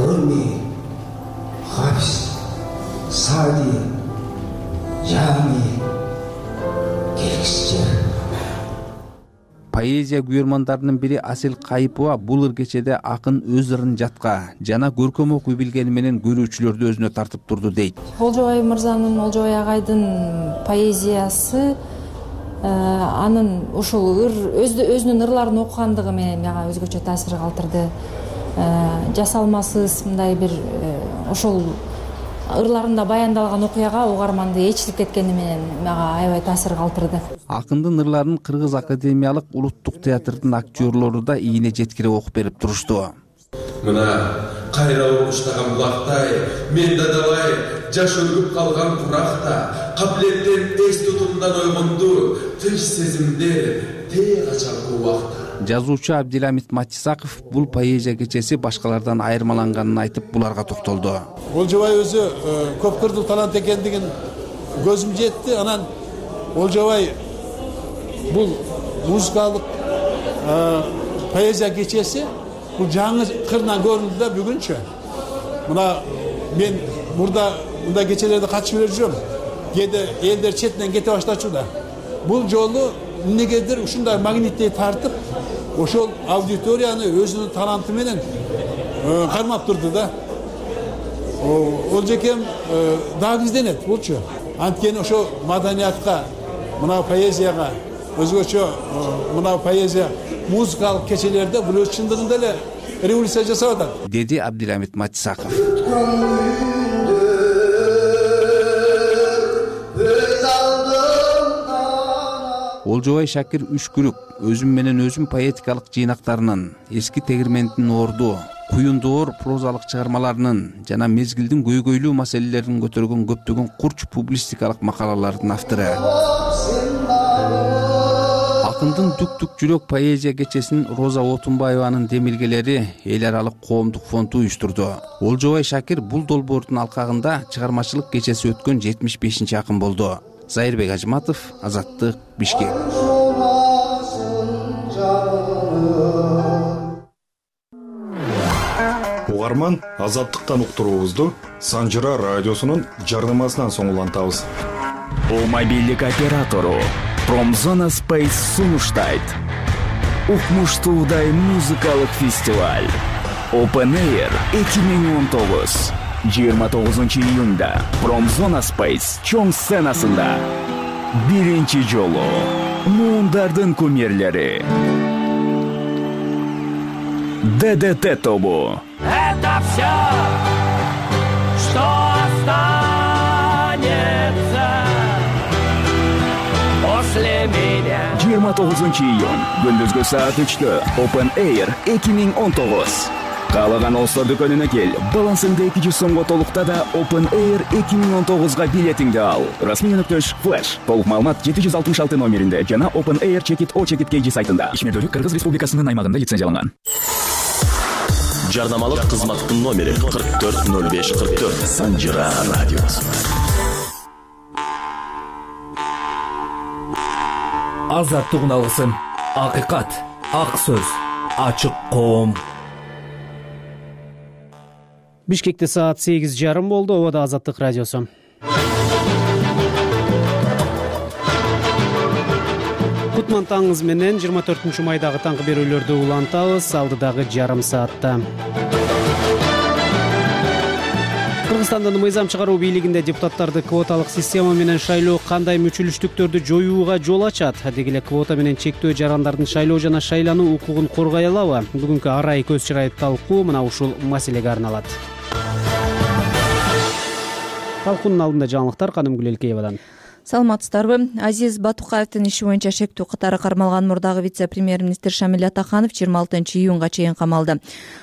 Руми, Хафиз, Саади, Жами, келгисче. Поэзия күйөрмандарынын бири Асел Кайыпова бул ыр кечеде акын өз ырын жатка жана көркөм окуй билгени менен көрүүчүлөрдү өзүнө тартып турду дейт. Олжобай мырзанын, Олжобай агайдын поэзиясы анын ушул ыр өзүнүн ырларын окугандыгы менен мага өзгөчө таасир калтырды. Жасалмасыз мындай бир ошол ырларында баяндалган окуяга угарманды ээрчитип кеткени менен мага аябай таасир калтырды. Акындын ырларын Кыргыз академиялык улуттук театрдын актерлору да ийине жеткирип окуп берип турушту. Мына кайра уруштаган булактай, мен дадалай жаш өлүп калган куракта, кабилеттен эс тутумдан ойгонду, тынч сезимдер тээ качалгы убакта. Жазуучу Абдиламит Матисаков бул поэзия кечеси башкалардан айырмаланганын айтып, буларга токтолду. Олжобай өзү көп кырдуу талант экендигин көзүм жетти. Анан Олжобай бул музыкалык поэзия кечеси бул жаңы кырынан көрүндү да бүгүнчө. Мына мен мурда мындай кечелерде катышып эле жүрөм. Кээде элдер четинен кете баштачу да. Бул жолу эмнегедир ушундай магниттей тартып, ошол аудиторияны өзүнүн таланты менен кармап турду да. Олжекем дагы изденет болчу. Анткени ошо маданиятка, мына поэзияга, өзгөчө мына поэзия музыкалык кечелерде бул өз чындыгында эле революция жасап атат, деди Абдиламит Матисаков. Олжобай Шакир Үшкүрүк өзүм менен өзүм поэтикалык жыйнактарынын, эски тегирмендин орду, куюндоор прозалык чыгармаларынын жана мезгилдин көйгөйлүү маселелерин көтөргөн көптөгөн курч публистикалык макалалардын автору. Акындын Түк-түк жүрөк поэзия кечесин Роза Отунбаеванын демилгелери эл аралык коомдук фонду уюштурду. Олжобай Шакир бул долбоордун алкагында чыгармачылык кечеси өткөн жетимиш бешинчи акын болду. Зайырбек Ажматов, Азаттык, Бишкек. Угарман, Азаттыктан уктуруубузду Санжыра радиосунун жарнамасынан соң улантабыз. Мобилдик оператору Промзона Space сунуштайт. Укмуштуудай музыкалык фестиваль Open Air эки миң он тогуз. жыйырма тогузунчу июнда Промзона Space чоң сценасында биринчи жолу муундардын кумирлери ДДТ тобу. Это все, что останется после меня. жыйырма тогузунчу июнь күндүзгү саат үчтө Open Air эки миң он тогуз. Каалаган Олстор дүкөнүнө кел. Балансыңды эки жүз сомго толукта да Open Air эки миң он тогузга билетиңди ал. Расмий өнөктөш Flash. Толук маалымат жети жүз алтымыш алты номеринде жана Open Air Check-it O Check-it K G сайтында. Ишмердүүлүк Кыргыз Республикасынын аймагында лицензияланган. Жарнамалык кызматтын номери кырк төрт ноль беш кырк төрт. Санжыра радиосу. Азаттык алгысым, акыйкат, ак сөз, ачык коом. Бишкекте саат сегиз жарым болду. Обада Азаттык радиосу. Кутман таңыңыз менен жыйырма төртүнчү майдагы таңкы берүүлөрдү улантабыз. Алдыдагы жарым саатта. Кыргызстандын мыйзам чыгаруу бийлигинде депутаттарды квоталык система менен шайлоо кандай мүчүлүштүктөрдү жоюуга жол ачат? Деги эле квота менен чектөө жарандардын шайлоо жана шайлануу укугун коргой алабы? Бүгүнкү арай көз чырай талкуу мына ушул маселеге арналат. Талкуунун алдында жаңылыктар Канымгүл Элкеевадан. Саламатсыздарбы? Азиз Батукаевдин иши боюнча шектүү катары кармалган мурдагы вице-премьер-министр Шамиль Атаханов жыйырма алтынчы июнга чейин камалды.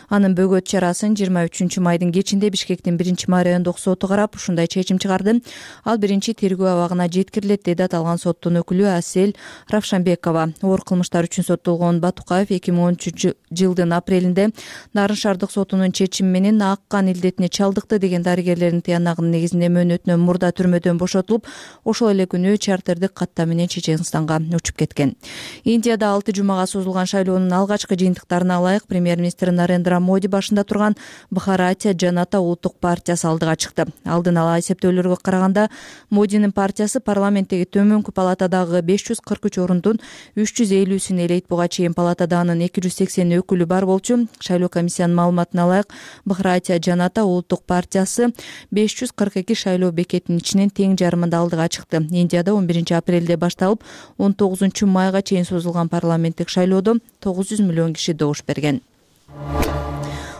Анын бөгөт чарасын жыйырма үчүнчү майдын кечинде Бишкектин биринчи май райондук соту карап, ушундай чечим чыгарды. Ал биринчи тергөө абагына жеткирилет, деди аталган соттун өкүлү Асель Равшанбекова. Оор кылмыштар үчүн соттолгон Батукаев эки миң он үчүнчү жылдын апрелинде Нарын шаардык сотунун чечими менен ак кан илдетине чалдыкты деген дарыгерлердин тыянагынын негизинде мөөнөтүнөн мурда түрмөдөн бошотулуп, ошол эле күнү чартердик катта менен Чеченстанга учуп кеткен. Индияда алты жумага созулган шайлоонун алгачкы жыйынтыктарына ылайык премьер-министр Нарендра Моди башында турган Бхаратия Жаната улуттук партиясы алдыга чыкты. Алдын ала эсептөөлөргө караганда Модинин партиясы парламенттеги төмөнкү палатадагы беш жүз кырк үч орундун үч жүз элүүсүн ээлейт. Буга чейин палатада анын эки жүз сексен өкүлү бар болчу. Шайлоо комиссиянын маалыматына ылайык Бхаратия Жаната улуттук партиясы беш жүз кырк эки шайлоо бекетинин ичинен тең жарымында алдыга чыкты. Индияда он биринчи апрелде башталып он тогузунчу майга чейин созулган парламенттик шайлоодо тогуз жүз миллион киши добуш берген.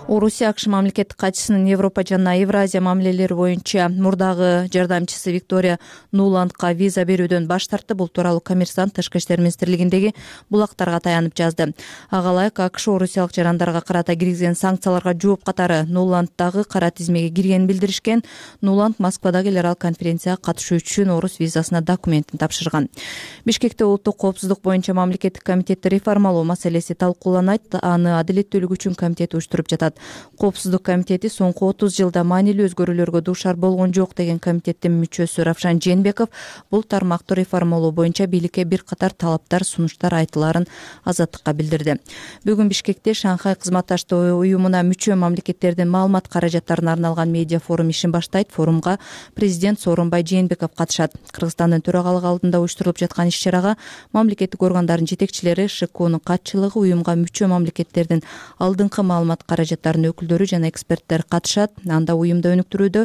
Орусия АКШ мамлекеттик катчысынын Европа жана Евразия мамилелери боюнча мурдагы жардамчысы Виктория Нуландга виза берүүдөн баш тартты. Бул тууралуу Коммерсант Тышкы иштер министрлигиндеги булактарга таянып жазды. Ага ылайык АКШ орусиялык жарандарга карата киргизген санкцияларга жооп катары Нуланддагы кара тизмеге киргенин билдиришкен. Нуланд Москвадагы эл аралык конференцияга катышуу үчүн орус визасына документин тапшырган. Бишкекте улуттук коопсуздук боюнча мамлекеттик комитетти реформалоо маселеси талкууланат. Аны Адилеттүүлүк үчүн комитети уюштуруп жатат. Коопсуздук комитети соңку отуз жылда маанилүү өзгөрүүлөргө дуушар болгон жок деген комитеттин мүчөсү Равшан Жээнбеков бул тармактуу реформалоо боюнча бийликке бир катар талаптар, сунуштар айтыларын Азаттыкка билдирди. Бүгүн Бишкекте Шанхай кызматташтык уюмуна мүчө мамлекеттердин маалымат каражаттарына арналган медиа форум ишин баштайт. Форумга президент Сооронбай Жээнбеков катышат. Кыргызстандын төрагалыгы алдында уюштурулуп жаткан иш-чарага мамлекеттик органдардын жетекчилери, ШКОнун катчылыгы, уюмга мүчө мамлекеттердин алдыңкы маалымат каражаттары өкүлдөрү жана эксперттер катышат. Анда уюмду өнүктүрүүдө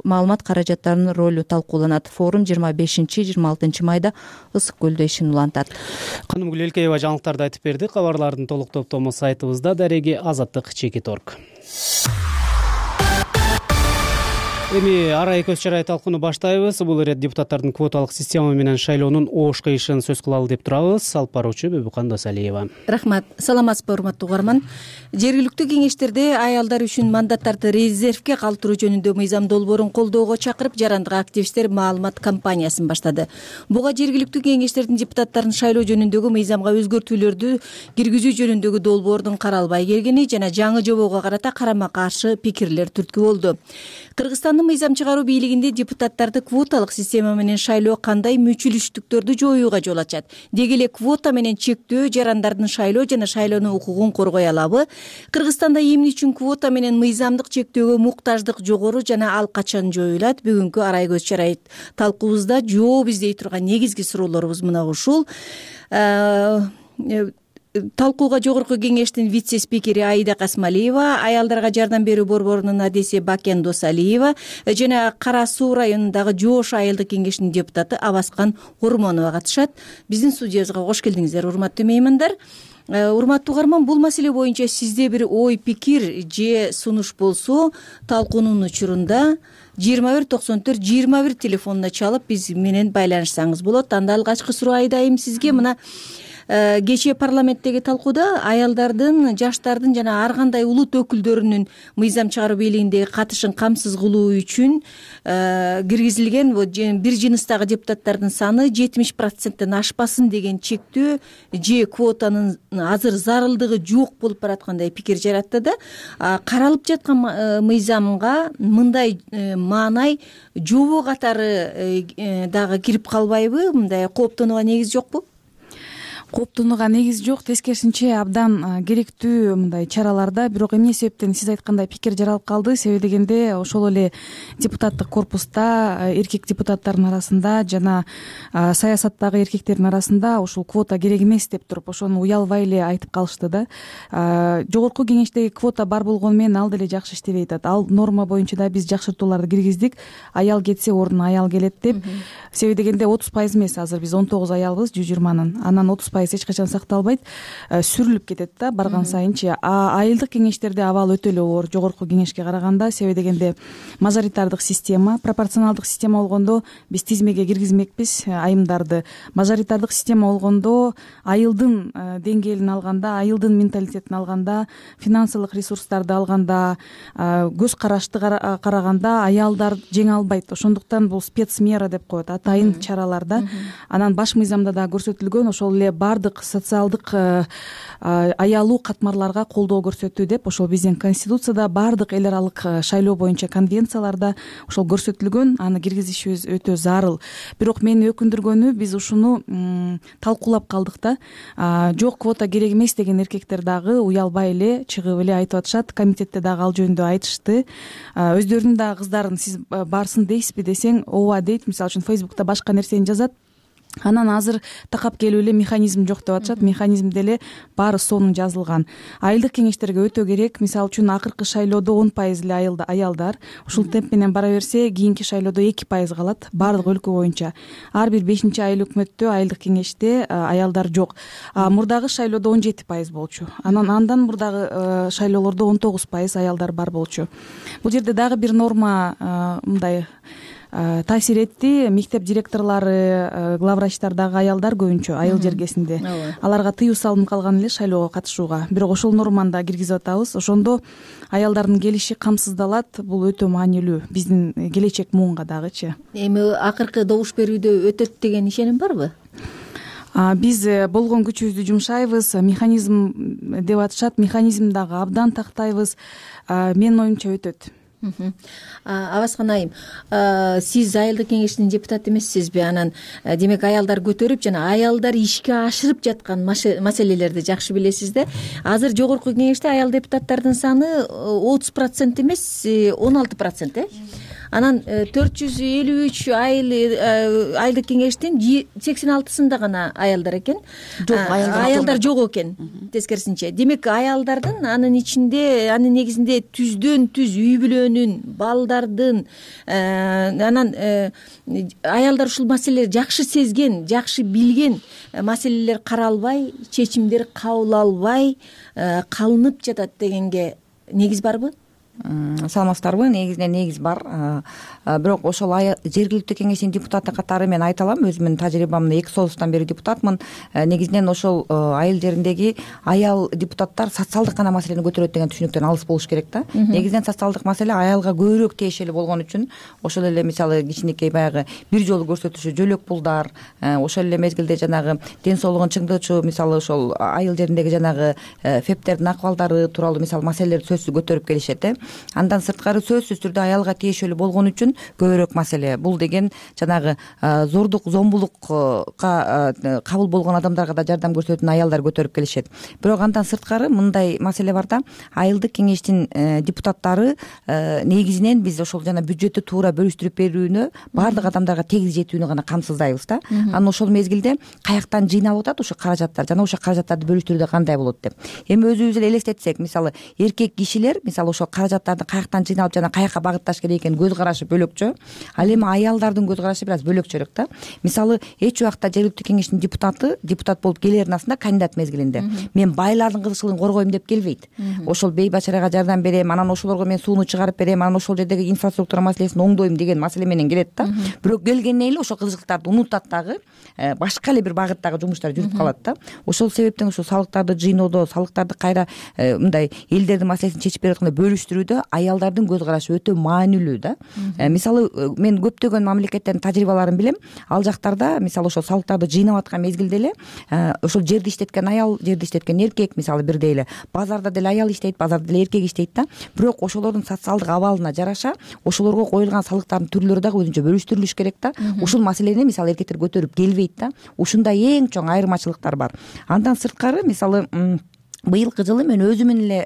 маалымат каражаттарынын ролу талкууланат. Форум жыйырма бешинчи жыйырма алтынчы майда Ысык көлдө ишин улантат. Канымгүл Элкеева жаңылыктарды айтып берди. Кабарлардын толук топтому сайтыбызда, дареги азаттык чекит точка орг. Эми арай көз чарай талкууну баштайбыз. Бул ирет депутаттардын квоталык система менен шайлоонун ош кыйышын сөз кылалы деп турабыз. Алып баруучу Бөбүкан Досалиева. Рахмат. Саламатсызбы, урматтуу угарман. Жергиликтүү кеңештерде аялдар үчүн мандаттарды резервге калтыруу жөнүндө мыйзам долбоорун колдоого чакырып, жарандык активисттер маалымат кампаниясын баштады. Буга жергиликтүү кеңештердин депутаттарын шайлоо жөнүндөгү мыйзамга өзгөртүүлөрдү киргизүү жөнүндөгү долбоордун каралбай келгени жана жаңы жобого карата карама каршы пикирлер түрткү болду. Кыргызстандын мыйзам чыгаруу бийлигинде депутаттарды квоталык система менен шайлоо кандай мүчүлүштүктөрдү жоюуга жол ачат? Деги эле квота менен чектөө жарандардын шайлоо жана шайлануу укугун коргой алабы? Кыргызстанда эмне үчүн квота менен мыйзамдык чектөөгө муктаждык жогору жана ал качан жоюлат? Бүгүнкү арай көз чарай талкуубузда жооп издей турган негизги суроолорубуз мына ушул. Талкууга жогорку кеңештин вице-спикери Аида Касмалиева, аялдарга жардам берүү борборунун адеси Бакен Досалиева жана Кара Суу районундагы Жоош айылдык кеңешинин депутаты Абаскан Ормонова катышат. Биздин студиябызга кош келдиңиздер, урматтуу меймандар. урматтуу угарман, бул маселе боюнча сизде бир ой пикир же сунуш болсо талкуунун учурунда жыйырма бир токсон төрт жыйырма бир телефонуна чалып биз менен байланышсаңыз болот. Анда алгачкы суроо айдайм сизге. Мына кечээ парламенттеги талкууда аялдардын, жаштардын жана ар кандай улут өкүлдөрүнүн мыйзам чыгаруу бийлигиндеги катышын камсыз кылуу үчүн киргизилген бир жыныстагы депутаттардын саны жетимиш проценттен ашпасын деген чектөө же квотанын азыр зарылдыгы жок болуп бараткандай пикир жаратты да. Каралып жаткан мыйзамга мындай маанай жобо катары дагы кирип калбайбы? Мындай кооптонууга негиз жокпу? Кооптонууга негиз жок, тескерисинче абдан керектүү мындай чараларда. Бирок эмне себептен сиз айткандай пикир жаралып калды? Себеби дегенде ошол эле депутаттык корпуста эркек депутаттардын арасында жана саясаттагы эркектердин арасында ушул квота керек эмес деп туруп ошону уялбай эле айтып калышты да. Жогорку кеңештеги квота бар болгону менен ал деле жакшы иштебей атат. Ал норма боюнча да биз жакшыртууларды киргиздик. Аял кетсе ордуна аял келет деп. Себеби дегенде отуз пайыз эмес, азыр биз он тогуз аялбыз жүз жыйырманын. Анан отуз пайыз эч качан сакталбайт, сүрүлүп кетет да барган сайынчы. А айылдык кеңештерде абал өтө эле оор жогорку кеңешке караганда. Себеби дегенде мажоритардык система, пропорционалдык система болгондо биз тизмеге киргизмекпиз айымдарды. Мажоритардык система болгондо айылдын деңгээлин алганда, айылдын менталитетин алганда, финансылык ресурстарды алганда, көз карашты караганда аялдар жеңе албайт. Ошондуктан бул спецмера деп коет, атайын чаралар да. Анан баш мыйзамда да көрсөтүлгөн ошол эле бардык социалдык аялуу катмарларга колдоо көрсөтүү деп ошол биздин конституцияда, бардык эл аралык шайлоо боюнча конвенцияларда ошол көрсөтүлгөн. Аны киргизишибиз өтө зарыл. Бирок мени өкүндүргөнү биз ушуну талкуулап калдык да. Жок, квота керек эмес деген эркектер дагы уялбай эле чыгып эле айтып атышат. Комитетте дагы ал жөнүндө айтышты. Өздөрүнүн дагы кыздарын сиз барсын дейсизби десең, ооба дейт. Мисалы үчүн Фейсбукта башка нерсени жазат. Анан азыр такап келип эле механизм жок деп атышат. Механизмде эле баары сонун жазылган. Айылдык кеңештерге өтө керек. Мисалы үчүн акыркы шайлоодо он пайыз эле аялдар. Ушул темп менен бара берсе, кийинки шайлоодо эки пайыз калат баардык өлкө боюнча. Ар бир бешинчи айыл өкмөттө, айылдык кеңеште аялдар жок. Мурдагы шайлоодо он жети пайыз болчу. Анан андан мурдагы шайлоолордо он тогуз пайыз аялдар бар болчу. Бул жерде дагы бир норма мындай таасир этти. Мектеп директорлору, главврачтар дагы аялдар көбүнчө айыл жергесинде. Аларга тыюу салынып калган эле шайлоого катышууга. Бирок ошол норманы да киргизип атабыз. Ошондо аялдардын келиши камсыздалат. Бул өтө маанилүү биздин келечек муунга дагычы. Эми акыркы добуш берүүдө өтөт деген ишеним барбы? Биз болгон күчүбүздү жумшайбыз. Механизм деп атышат. Механизм дагы абдан тактайбыз. Менин оюмча өтөт. Абаскан айым, сиз айылдык кеңештин депутаты эмессизби? Анан демек аялдар көтөрүп жана аялдар ишке ашырып жаткан маселелерди жакшы билесиз да. Азыр жогорку кеңеште аял депутаттардын саны отуз процент эмес, он алты процент э? Анан төрт жүз элүү үч айыл айылдык кеңештин сексен алтысында гана аялдар экен. Аялдар жок экен тескерисинче. Демек аялдардын анын ичинде, анын негизинде түздөн түз үй бүлөнүн, балдардын, анан аялдар ушул маселелерди жакшы сезген, жакшы билген маселелер каралбай, чечимдер кабыл албай калынып жатат дегенге негиз барбы? Саламатсыздарбы? Негизинен негиз бар. Бирок ошол жергиликтүү кеңештин депутаты катары мен айта алам. Өзүмдүн тажрыйбамда эки союздан бери депутатмын. Негизинен ошол айыл жериндеги аял депутаттар социалдык гана маселени көтөрөт деген түшүнүктөн алыс болуш керек да. Негизинен социалдык маселе аялга көбүрөөк тиешелүү болгон үчүн ошол эле мисалы кичинекей баягы бир жолу көрсөтүүчү жөлөк пулдар, ошол эле мезгилде жанагы ден соолугун чыңдоочу мисалы ошол айыл жериндеги жанагы фептердин акыбалдары тууралуу мисалы маселелерди сөзсүз көтөрүп келишет. Андан сырткары сөзсүз түрдө аялга тиешелүү болгон үчүн көбүрөөк маселе. Бул деген жанагы зордук, зомбулукка кабыл болгон адамдарга да жардам көрсөтүүнү аялдар көтөрүп келишет. Бирок андан сырткары мындай маселе бар да. Айылдык кеңештин депутаттары негизинен биз ошол жана бюджеттти туура бөлүштүрүп берүүнү, баардык адамдарга тегиз жетүүнү гана камсыздайбыз да. Анан ошол мезгилде каяктан жыйналып атат ошо каражаттар жана ошо каражаттарды бөлүштүрүүдө кандай болот деп. Эми өзүбүз эле элестетсек, мисалы эркек кишилер мисалы ошол каражат каражаттарды каяктан жыйналып жана каяка багытташ керек экенин көз карашы бөлөкчө. Ал эми аялдардын көз карашы бир аз бөлөкчөрөөк да. Мисалы эч убакта жергиликтүү кеңештин депутаты депутат болуп келердин астында кандидат мезгилинде мен байлардын кызыкчылыгын коргойм деп келбейт. Ошол бейбачарага жардам берем, анан ошолорго мен сууну чыгарып берем, анан ошол жердеги инфраструктура маселесин оңдойм деген маселе менен келет да. Бирок келгенден эле ошол кызыкчылыктарды унутат дагы, башка эле бир багыттагы жумуштар жүрүп калат да. Ошол себептен ушул салыктарды жыйноодо, салыктарды кайра мындай элдердин маселесин чечип берип атканда бөлүштүрүүдө аялдардын көз карашы өтө маанилүү да. Мисалы мен көптөгөн мамлекеттердин тажрыйбаларын билем. Ал жактарда мисалы ошол салыктарды жыйнап аткан мезгилде эле ошол жерди иштеткен аял, жерди иштеткен эркек мисалы бирдей эле базарда деле аял иштейт, базарда деле эркек иштейт да. Бирок ошолордун социалдык абалына жараша ошолорго коюлган салыктардын түрлөрү дагы өзүнчө бөлүштүрүлүш керек да. Ушул маселени мисалы эркектер көтөрүп келбейт да. Ушундай эң чоң айырмачылыктар бар. Андан сырткары мисалы быйылкы жылы мен өзүмүн эле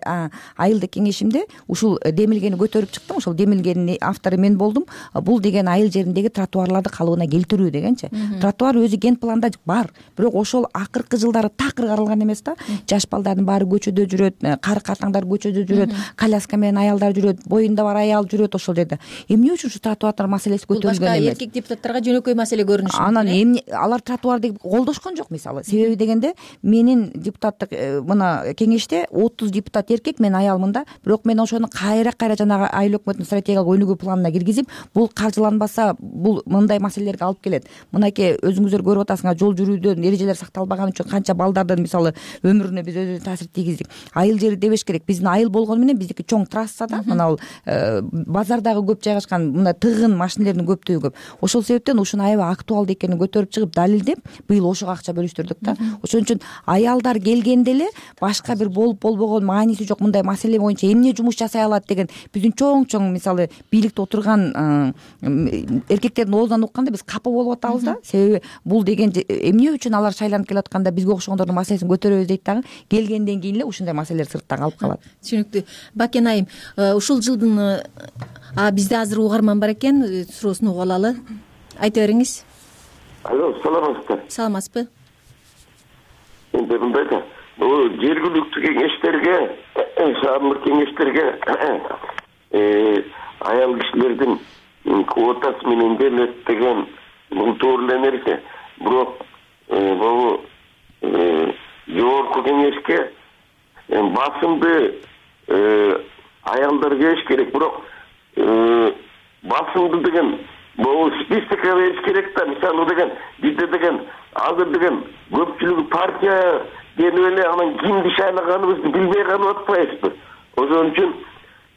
айылдык кеңешимде ушул демилгени көтөрүп чыктым. Ошол демилгенин автору мен болдум. Бул деген айыл жериндеги тротуарларды калыбына келтирүү дегенчи. Тротуар өзү ген планда бар, бирок ошол акыркы жылдары такыр каралган эмес да. Жаш балдардын баары көчөдө жүрөт, кары картаңдар көчөдө жүрөт, коляска менен аялдар жүрөт, боюнда бар аял жүрөт ошол жерде. Эмне үчүн ушу тротуарлар маселеси көтөрүлгөн эмес? Башка эркек депутаттарга жөнөкөй маселе көрүнүшү. Анан эмне алар тротуарды колдошкон жок мисалы. Себеби дегенде менин депутаттык мына кеңеште отуз депутат эркек, мен аялмын да. Бирок мен ошону кайра-кайра жанагы айыл өкмөтүнүн стратегиялык өнүгүү планына киргизип, бул каржыланбаса, бул мындай маселелерге алып келет. Мынакей өзүңүздөр көрүп атасыңар, жол жүрүүдөн эрежелер сакталбаган үчүн канча балдардын мисалы өмүрүнө биз өзүбүз таасир тийгиздик. Айыл жери дебеш керек. Биздин айыл болгону менен биздики чоң трасса да, мына бул базардагы көп жайгашкан мына тыгын машинелердин көптүгү көп. Ошол себептен ушуну аябай актуалдуу экенин көтөрүп чыгып далилдеп, быйыл ошого акча бөлүштүрдүк да. Ошон үчүн аялдар келгенде эле башка бир болуп болбогон мааниси жок мындай маселе боюнча эмне жумуш жасай алат деген биздин чоң-чоң мисалы бийликте отурган эркектердин оозунан укканда биз капа болуп атабыз да. Себеби бул деген эмне үчүн алар шайланып келип атканда бизге окшогондордун маселесин көтөрөбүз дейт дагы. Келгенден кийин эле ушундай маселелер сыртта калып калат. Түшүнүктүү. Бакен айым, ушул жылдын бизде азыр угарман бар экен, суроосун угуп алалы. Айта бериңиз. Алло, саламатсызбы? Саламатсызбы? Энди мындай да, бул жергиликтүү кеңештерге, шаардык кеңештерге аял кишилердин квотасы менен берилет деген бул туура эле нерсе. Бирок бул жогорку кеңешке басымды аялдар бериш керек, бирок басымды деген бул списокко бериш керек да. Мисалы деген бизде деген азыр деген көпчүлүгү партия денип эле анан кимди шайлаганыбызды билбей калып атпайбызбы? Ошон үчүн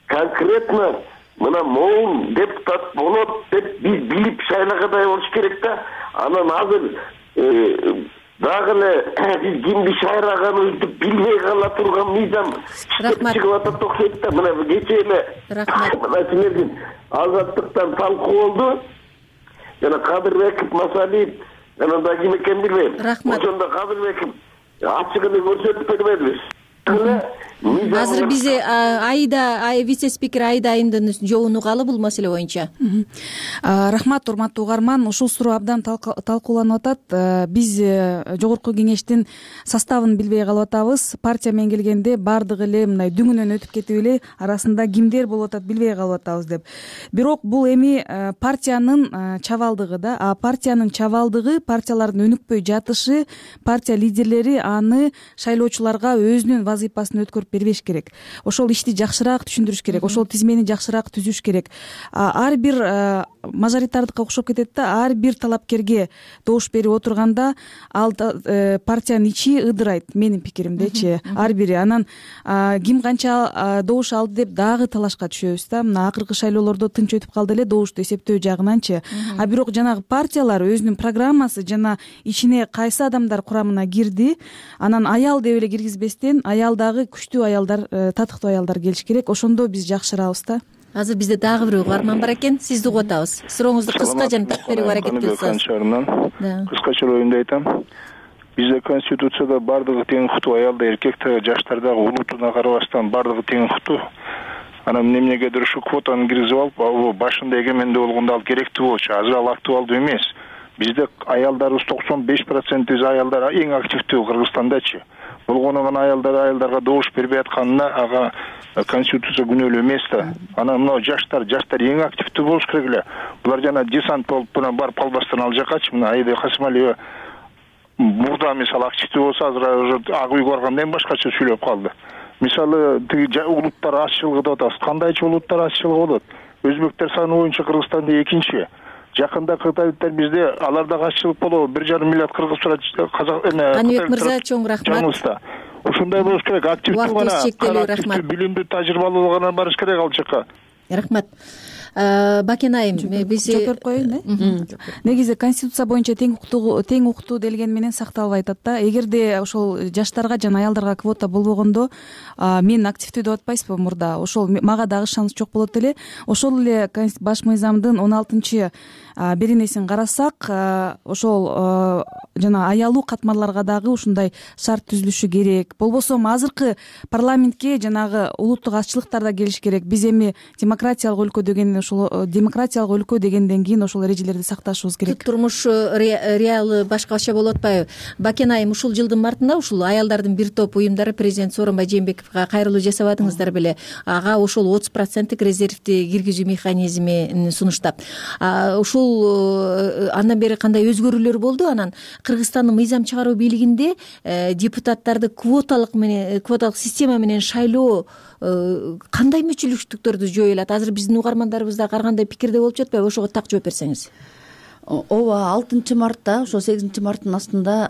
конкретно мына могул депутат болот деп биз билип шайлагандай болуш керек да. Анан азыр дагы эле биз кимди шайлаганыбызды билбей кала турган мыйзам чыгып атат окшойт да. Мына кечээ эле мына силердин Азаттыктан талкуу болду. Жана Кадырбеков, Масалиев, анан да ким экенин билбейм. Ошондо Кадырбеков ачыгын көрсөтүп бербедиби? Азыр биз Айда вице-спикер Айда айымдын жообун угалы бул маселе боюнча. Рахмат, урматтуу угарман. Ушул суроо абдан талкууланып атат. Биз жогорку кеңештин составын билбей калып атабыз. Партия менен келгенде баардыгы эле мындай дүңүнөн өтүп кетип эле арасында кимдер болуп атат билбей калып атабыз деп. Бирок бул эми партиянын чабалдыгы да. А партиянын чабалдыгы, партиялардын өнүкпөй жатышы, партия лидерлери аны шайлоочуларга өзүнүн вазыйпасын өткөрүп бербеш керек. Ошол ишти жакшыраак түшүндүрүш керек, ошол тизмени жакшыраак түзүш керек. Ар бир мажоритардыкка окшоп кетет да, ар бир талапкерге добуш берип отурганда ал партиянын ичи ыдырайт, менин пикиримдечи. Ар бири анан ким канча добуш алды деп дагы талашка түшөбүз да. Мына акыркы шайлоолордо тынч өтүп калды эле добушту эсептөө жагынанчы. А бирок жанагы партиялар өзүнүн программасы жана ичине кайсы адамдар курамына кирди, анан аял деп эле киргизбестен аялдагы күчтүү аялдар, татыктуу аялдар келиш керек. Ошондо биз жакшырабыз да. Азыр бизде дагы бир угарман бар экен. Сизди угуп атабыз. Сурооңузду кыска жана так берүүгө аракет кылсаңыз. Кыскача оюмду айтам. Бизде конституцияда бардыгы тең укуктуу, аялда, эркекте, жаштардагы улутуна карабастан бардыгы тең укуктуу. Анан эмнегедир ушу квотаны киргизип алып, башында эгемендүү болгондо ал керектүү болчу. Азыр ал актуалдуу эмес. бизде аялдарыбыз токсон беш проценти аялдар эң активдүү Кыргызстандачы. Болгону гана аялдар аялдарга добуш бербей атканына ага конституция күнөөлүү эмес да. Анан мына жаштар жаштар эң активдүү болуш керек эле. Булар жана десант болуп мына барып калбастан ал жакачы. Мына Аида Касымалиева мурда мисалы активдүү болсо азыр уже ак үйгө баргандан кийин башкача сүйлөп калды. Мисалы тиги улуттар азчылыгы деп атабыз. Кандайчы улуттар азчылыгы болот? Өзбектер саны боюнча Кыргызстанда экинчи. Жакында Кытайдыктар бизде аларда азчылык болобу? бир жарым миллиард кыргыз казак эме. Каныбек мырза, чоң рахмат. Ушундай болуш керек. Активдүү гана, рахмат. Билимдүү, тажрыйбалуу гана барыш керек ал жака. Рахмат. Бакен айым, биз жооп берип коеюн э. Негизи конституция боюнча тең укуктуу тең укуктуу делгени менен сакталбай атат да. Эгерде ошол жаштарга жана аялдарга квота болбогондо мен активдүү деп атпайсызбы мурда? Ошол мага дагы шанс жок болот эле. Ошол эле баш мыйзамдын он алтынчы беренесин карасак, ошол жана аялуу катмарларга дагы ушундай шарт түзүлүшү керек. Болбосо азыркы парламентке жанагы улуттук азчылыктар да келиш керек. Биз эми демократиялык өлкө деген ошол демократиялык өлкө дегенден кийин ошол эрежелерди сакташыбыз керек. Турмуш реалы башкача болуп атпайбы? Бакен айым, ушул жылдын мартында ушул аялдардын бир топ уюмдары президент Сооронбай Жээнбековго кайрылуу жасабадыңыздар беле? Ага ошол отуз проценттик резервди киргизүү механизмин сунуштап. Ушул андан бери кандай өзгөрүүлөр болду? Анан Кыргызстандын мыйзам чыгаруу бийлигинде депутаттарды квоталык менен квоталык система менен шайлоо кандай мүчүлүктүктөрдү жойо алат? Азыр биздин угармандарыбыз да ар кандай пикирде болуп жатпайбы? Ошого так жооп берсеңиз. Ооба, алтынчы мартта, ошо сегизинчи марттын астында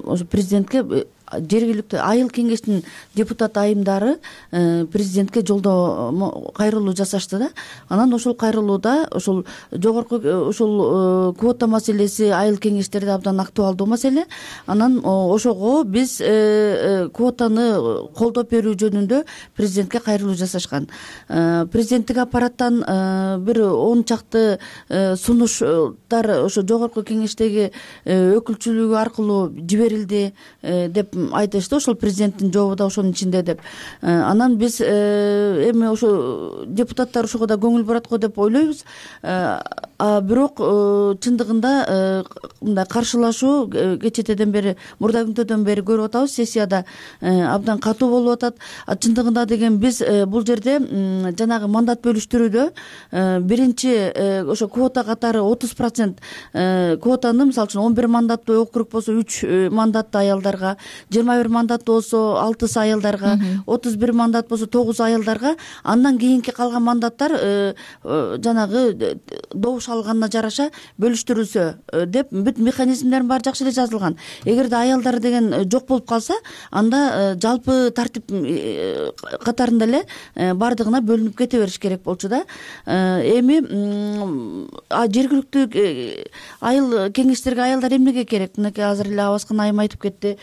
ошо президентке жергиликтүү айыл кеңештин депутат айымдары президентке жолдоо кайрылуу жасашты да. Анан ошол кайрылууда ошол жогорку ошол квота маселеси айыл кеңештерде абдан актуалдуу маселе. Анан ошого биз квотаны колдоп берүү жөнүндө президентке кайрылуу жасашкан. Президенттик аппараттан бир он чакты сунуштар ошо жогорку кеңештеги өкүлчүлүгү аркылуу жиберилди деп айтышты. Ошол президенттин жообу да ошонун ичинде деп. Анан биз эми ошо депутаттар ошого да көңүл бурат го деп ойлойбуз. Бирок чындыгында мындай каршылашуу кечетеден бери, мурда күнтөдөн бери көрүп атабыз. Сессияда абдан катуу болуп атат. Чындыгында деген биз бул жерде жанагы мандат бөлүштүрүүдө биринчи ошо квота катары отуз процент квотаны, мисалы үчүн он бир мандаттуу округ болсо үч мандаттуу аялдарга, жыйырма бир мандаттуу болсо алтысы аялдарга, отуз бир мандат болсо тогуз аялдарга, андан кийинки калган мандаттар жанагы добуш алганына жараша бөлүштүрүлсө деп бүт механизмдерин баары жакшы эле жазылган. Эгерде аялдар деген жок болуп калса, анда жалпы тартип катарында эле бардыгына бөлүнүп кете бериш керек болчу да. Эми жергиликтүү айыл кеңештерге аялдар эмнеге керек? Мынакей азыр эле Абаскан айым айтып кетти.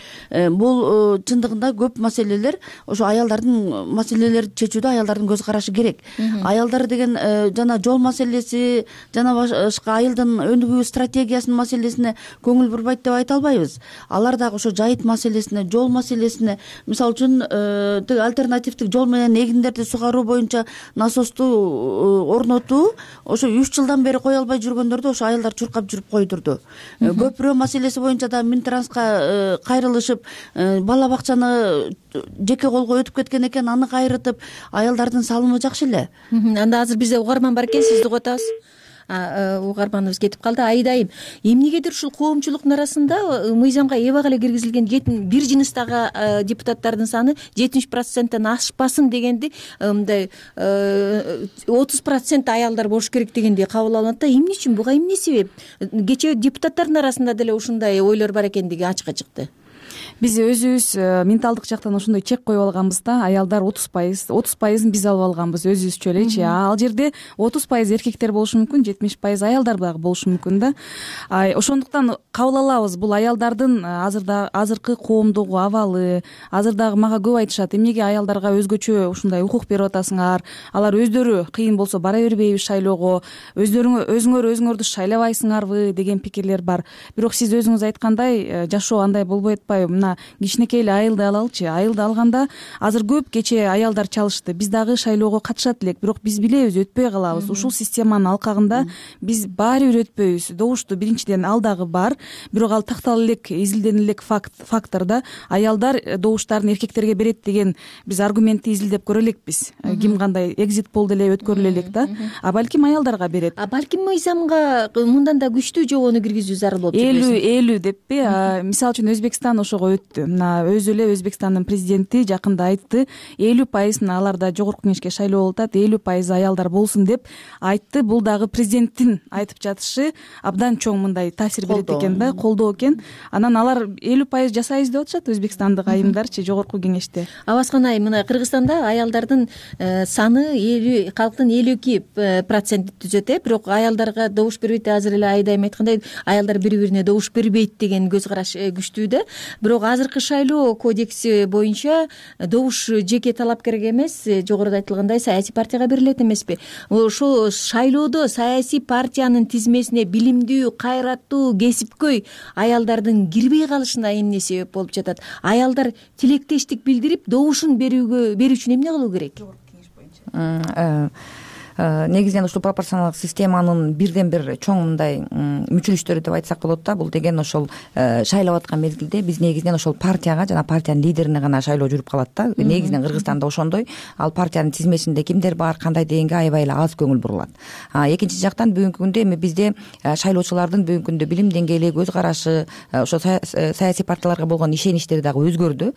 Бул чындыгында көп маселелер ошо аялдардын маселелерди чечүүдө аялдардын көз карашы керек. Аялдар деген жана жол маселеси, жана башка айылдын өнүгүү стратегиясынын маселесине көңүл бурбайт деп айта албайбыз. Алар дагы ошо жайыт маселесине, жол маселесине, мисалы үчүн тиги альтернативдик жол менен эгиндерди сугаруу боюнча насосту орнотуу ошо үч жылдан бери кое албай жүргөндөрдү ошо аялдар чуркап жүрүп койдурду. Көпүрө маселеси боюнча да Минтранска кайрылышып, бала бакчаны жеке колго өтүп кеткен экен, аны кайрытып, аялдардын салымы жакшы эле. Анда азыр бизде угарман бар экен, сизди угатабыз. Угарманыбыз кетип калды. Айдайым, эмнегедир ушул коомчулуктун арасында мыйзамга эбак эле киргизилген бир жыныстагы депутаттардын саны жетимиш проценттен ашпасын дегенди, мындай отуз процент аялдар болуш керек дегенди кабыл алынат да. Эмне үчүн, буга эмне себеп? Кечээ депутаттардын арасында деле ушундай ойлор бар экендиги ачыкка чыкты. Биз өзүбүз менталдык жактан ошондой чек коюп алганбыз да. Аялдар отуз пайыз, отуз пайызын биз алып алганбыз өзүбүзчө элечи. Ал жерде отуз пайыз эркектер болушу мүмкүн, жетимиш пайыз аялдар дагы болушу мүмкүн да. Ошондуктан кабыл алабыз, бул аялдардын азырда азыркы коомдогу абалы. Азыр дагы мага көп айтышат, эмнеге аялдарга өзгөчө ушундай укук берип атасыңар? Алар өздөрү кыйын болсо бара бербейби шайлоого? Өздөрүңөр өзүңөр өзүңөрдү шайлабайсыңарбы деген пикирлер бар. Бирок сиз өзүңүз айткандай, жашоо андай болбой атпайбы? Мына жана кичинекей эле айылды алалычы. Айылды алганда азыр көп кечээ аялдар чалышты. Биз дагы шайлоого катышат элек, бирок биз билебиз өтпөй калабыз. Ушул системанын алкагында биз баары бир өтпөйбүз. Добушту биринчиден ал дагы бар, бирок ал тактала элек, изилденила элек фактор да. Аялдар добуштарын эркектерге берет деген биз аргументти изилдеп көрө элекпиз. Ким кандай экзит пол деле өткөрүлө элек да. А балким аялдарга берет. А балким мыйзамга мындан да күчтүү жобону киргизүү зарыл болуп элүү элүү деппи. Мисалы үчүн Өзбекстан ошого өттү. Мына өзү эле Өзбекстандын президенти жакында айтты, элүү пайызын аларда жогорку кеңешке шайлоо болуп атат, элүү пайыз аялдар болсун деп айтты. Бул дагы президенттин айтып жатышы абдан чоң мындай таасир берет экен да, колдоо экен. Анан алар элүү пайыз жасайбыз деп атышат өзбекстандык айымдарчы жогорку кеңеште. Абаскан айым, мына Кыргызстанда аялдардын саны элүү, калктын элүү эки процентти түзөт э, бирок аялдарга добуш бербейт. Азыр эле Айдайым айткандай, аялдар бири-бирине добуш бербейт деген көз караш күчтүү да. Бирок азыркы шайлоо кодекси боюнча добуш жеке талапкерге эмес, жогоруда айтылгандай саясий партияга берилет эмеспи? Ошол шайлоодо саясий партиянын тизмесине билимдүү, кайраттуу, кесипкөй аялдардын кирбей калышына эмне себеп болуп жатат? Аялдар тилектештик билдирип добушун берүүгө берүү үчүн эмне кылуу керек? Негизинен ушул пропорционалдык системанын бирден бир чоң мындай мүчүлүштөрү деп айтсак болот да. Бул деген ошол шайлап аткан мезгилде биз негизинен ошол партияга жана партиянын лидерине гана шайлоо жүрүп калат да. Негизинен Кыргызстанда ошондой. Ал партиянын тизмесинде кимдер бар, кандай дегенге аябай эле аз көңүл бурулат. Экинчи жактан бүгүнкү күндө эми бизде шайлоочулардын бүгүнкү күндө билим деңгээли, көз карашы, ошо саясий партияларга болгон ишеничтери дагы өзгөрдү.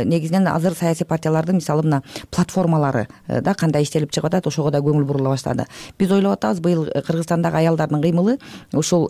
Негизинен азыр саясий партиялардын мисалы мына платформалары да кандай иштелип чыгып атат, ошого да көңүл бурула баштады. Биз ойлоп атабыз, быйыл Кыргызстандагы аялдардын кыймылы ушул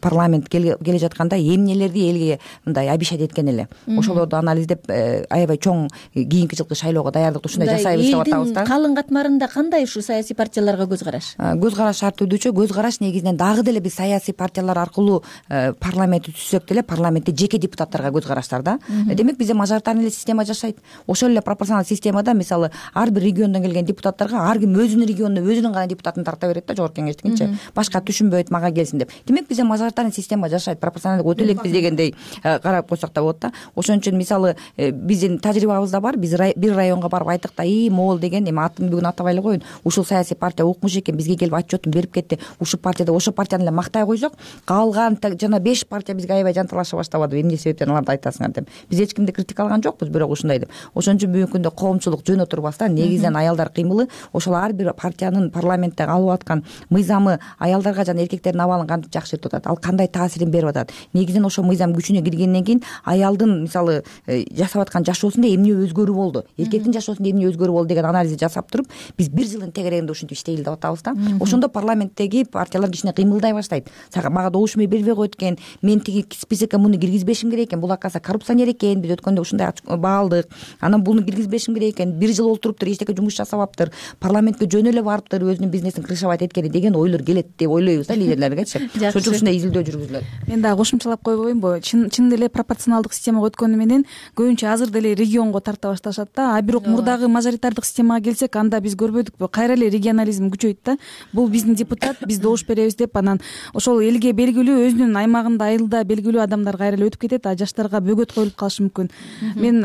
парламент келе жатканда эмнелерди элге мындай обещать эткен эле. Ошолорду анализдеп аябай чоң кийинки жылкы шайлоого даярдыкты ушундай жасайбыз деп атабыз да. Элдин калың катмарында кандай ушу саясий партияларга көз караш? Көз караш шарт түрдүүчү. Көз караш негизинен дагы деле биз саясий партиялар аркылуу парламентти түзсөк деле парламентте жеке депутаттарга көз караштар да. Демек бизде мажоритарный эле система жашайт. Ошол эле пропорционалдык системада мисалы ар бир региондон келген депутаттарга ар ким өзүнүн регионуна өзүнүн гана депутатын тарта берет да, жогорку кеңештикинчи. Башка түшүнбөйт, мага келсин деп. Демек бизде мажоритарный система жашайт. Пропорционалдык өтө элекпиз дегендей карап койсок да болот да. Ошон үчүн мисалы биздин тажрыйбабызда бар. Биз бир районго барып айттык да, и могул деген, эми атын бүгүн атабай эле коеюн. Ушул саясий партия укмуш экен, бизге келип отчетун берип кетти. Ушул партияда ошол партияны эле мактай койсок, калган жана беш партия бизге аябай жанталаша баштабады. Эмне себептен аларды айтасыңар деп. Биз эч кимди критикалаган жокпуз, бирок ушундай деп. Ошон үчүн бүгүнкү күндө коомчулук жөн отурбастан негизинен аялдар кыймылы ошол ар бир партиянын парламентте алып аткан мыйзамы аялдарга жана эркектердин абалын кантип жакшыртып атат, ал кандай таасирин берип атат. Негизинен ошол мыйзам күчүнө киргенден кийин аялдын мисалы жасап аткан жашоосунда эмне өзгөрүү болду, эркектин жашоосунда эмне өзгөрүү болду деген анализди жасап туруп, биз бир жылдын тегерегинде ушинтип иштейли деп атабыз да. Ошондо парламенттеги партиялар кичине кыймылдай баштайт. Мага добуш бербей койт экен, мен тиги списокко муну киргизбешим керек экен, бул акаса коррупционер экен, биз өткөндө ушундай баалдык, анан буну киргизбешим керек экен, бир жыл олтуруптур, эчтеке жумуш жасабаптыр, парламентке жөн эле барыптыр, өзүнүн бизнесин крышевать эткени деген ойлор келет деп ойлойбуз да лидерлергечи. Ошон үчүн ушундай изилдөө жүргүзүлөт. Мен дагы кошумчалап койбоймунбу? Чын чын деле пропорционалдык системага өткөнү менен көбүнчө азыр деле регионго тарта башташат да. А бирок мурдагы мажоритардык системага келсек, анда биз көрбөдүкпү? Кайра эле регионализм күчөйт да. Бул биздин депутат, биз добуш беребиз деп анан ошол элге белгилүү, өзүнүн аймагында, айылда белгилүү адамдар кайра эле өтүп кетет, а жаштарга бөгөт коюлуп калышы мүмкүн. Мен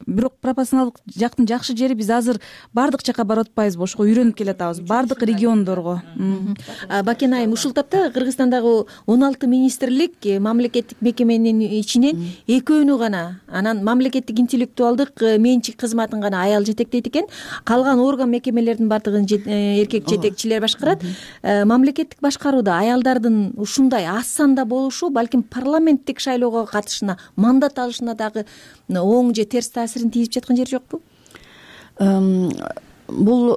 бирок пропорционалдык жактын жакшы жери, биз азыр баардык жака барып атпайбызбы? Ошого үйрөнүп келатабыз, баардык региондорго. Бакен айым, ушул тапта Кыргызстандагы он алты министрлик мамлекеттик мекеменин ичинен экөөнү гана, анан мамлекеттик интеллектуалдык менчик кызматын гана аял жетектейт экен. Калган орган мекемелердин баардыгын эркек жетекчилер башкарат. Мамлекеттик башкарууда аялдардын ушундай аз санда болушу балким парламенттик шайлоого катышына, мандат алышына дагы оң же терс таасирин тийип жаткан жери жокпу? Бул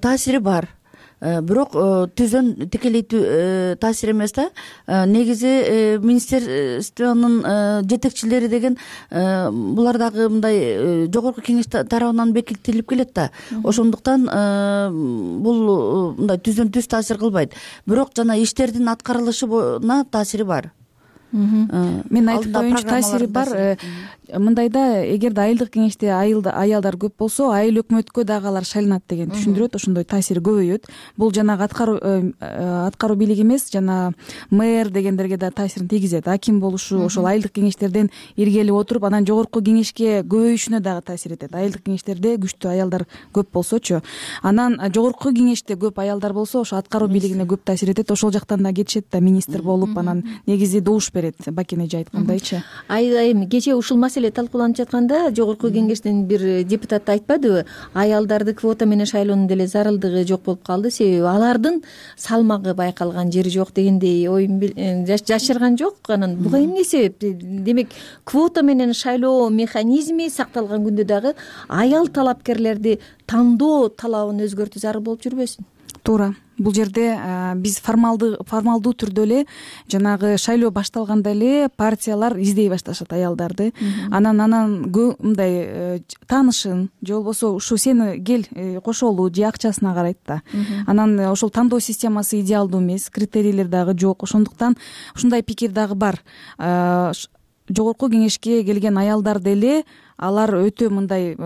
таасири бар. Бирок түзөн тикелей таасир эмес да. Негизи министерствонун жетекчилери деген булар дагы мындай жогорку кеңеш тарабынан бекитилип келет да. Ошондуктан бул мындай түздөн түз таасир кылбайт. Бирок жана иштердин аткарылышына таасири бар. менин айтып коеюмчу таасири бар. Мындайда эгерде айылдык кеңеште аялдар көп болсо, айыл өкмөткө дагы алар шайланат деген түшүндүрөт. Ошондой таасири көбөйөт. Бул жанагы аткаруу аткаруу бийлиги эмес, жана мэр дегендерге да таасирин тийгизет. Аким болушу, ошол айылдык кеңештерден иргелип отуруп, анан жогорку кеңешке көбөйүшүнө дагы таасир этет. Айылдык кеңештерде күчтүү аялдар көп болсочу, анан жогорку кеңеште көп аялдар болсо, ошо аткаруу бийлигине көп таасир этет. Ошол жактан да кетишет да министр болуп, анан негизи добуш берет, Бакен эже айткандайчы. Айдайым кечээ ушул маселе талкууланып жатканда жогорку кеңештен бир депутат айтпадыбы, аялдарды квота менен шайлоонун деле зарылдыгы жок болуп калды, себеби алардын салмагы байкалган жери жок дегендей оюн жашырган жок. Анан буга эмне себеп? Демек, квота менен шайлоо механизми сакталган күндө дагы аял талапкерлерди тандоо талабын өзгөртүү зарыл болуп жүрбөсүн? Туура. Бул жерде биз формалдуу формалдуу түрдө эле жанагы шайлоо башталганда эле партиялар издей башташат аялдарды. Анан анан мындай таанышын же болбосо ушу сени кел кошолу же акчасына карайт да. Анан ошол тандоо системасы идеалдуу эмес, критерийлер дагы жок. Ошондуктан ушундай пикир дагы бар. Жогорку кеңешке келген аялдар деле алар өтө мындай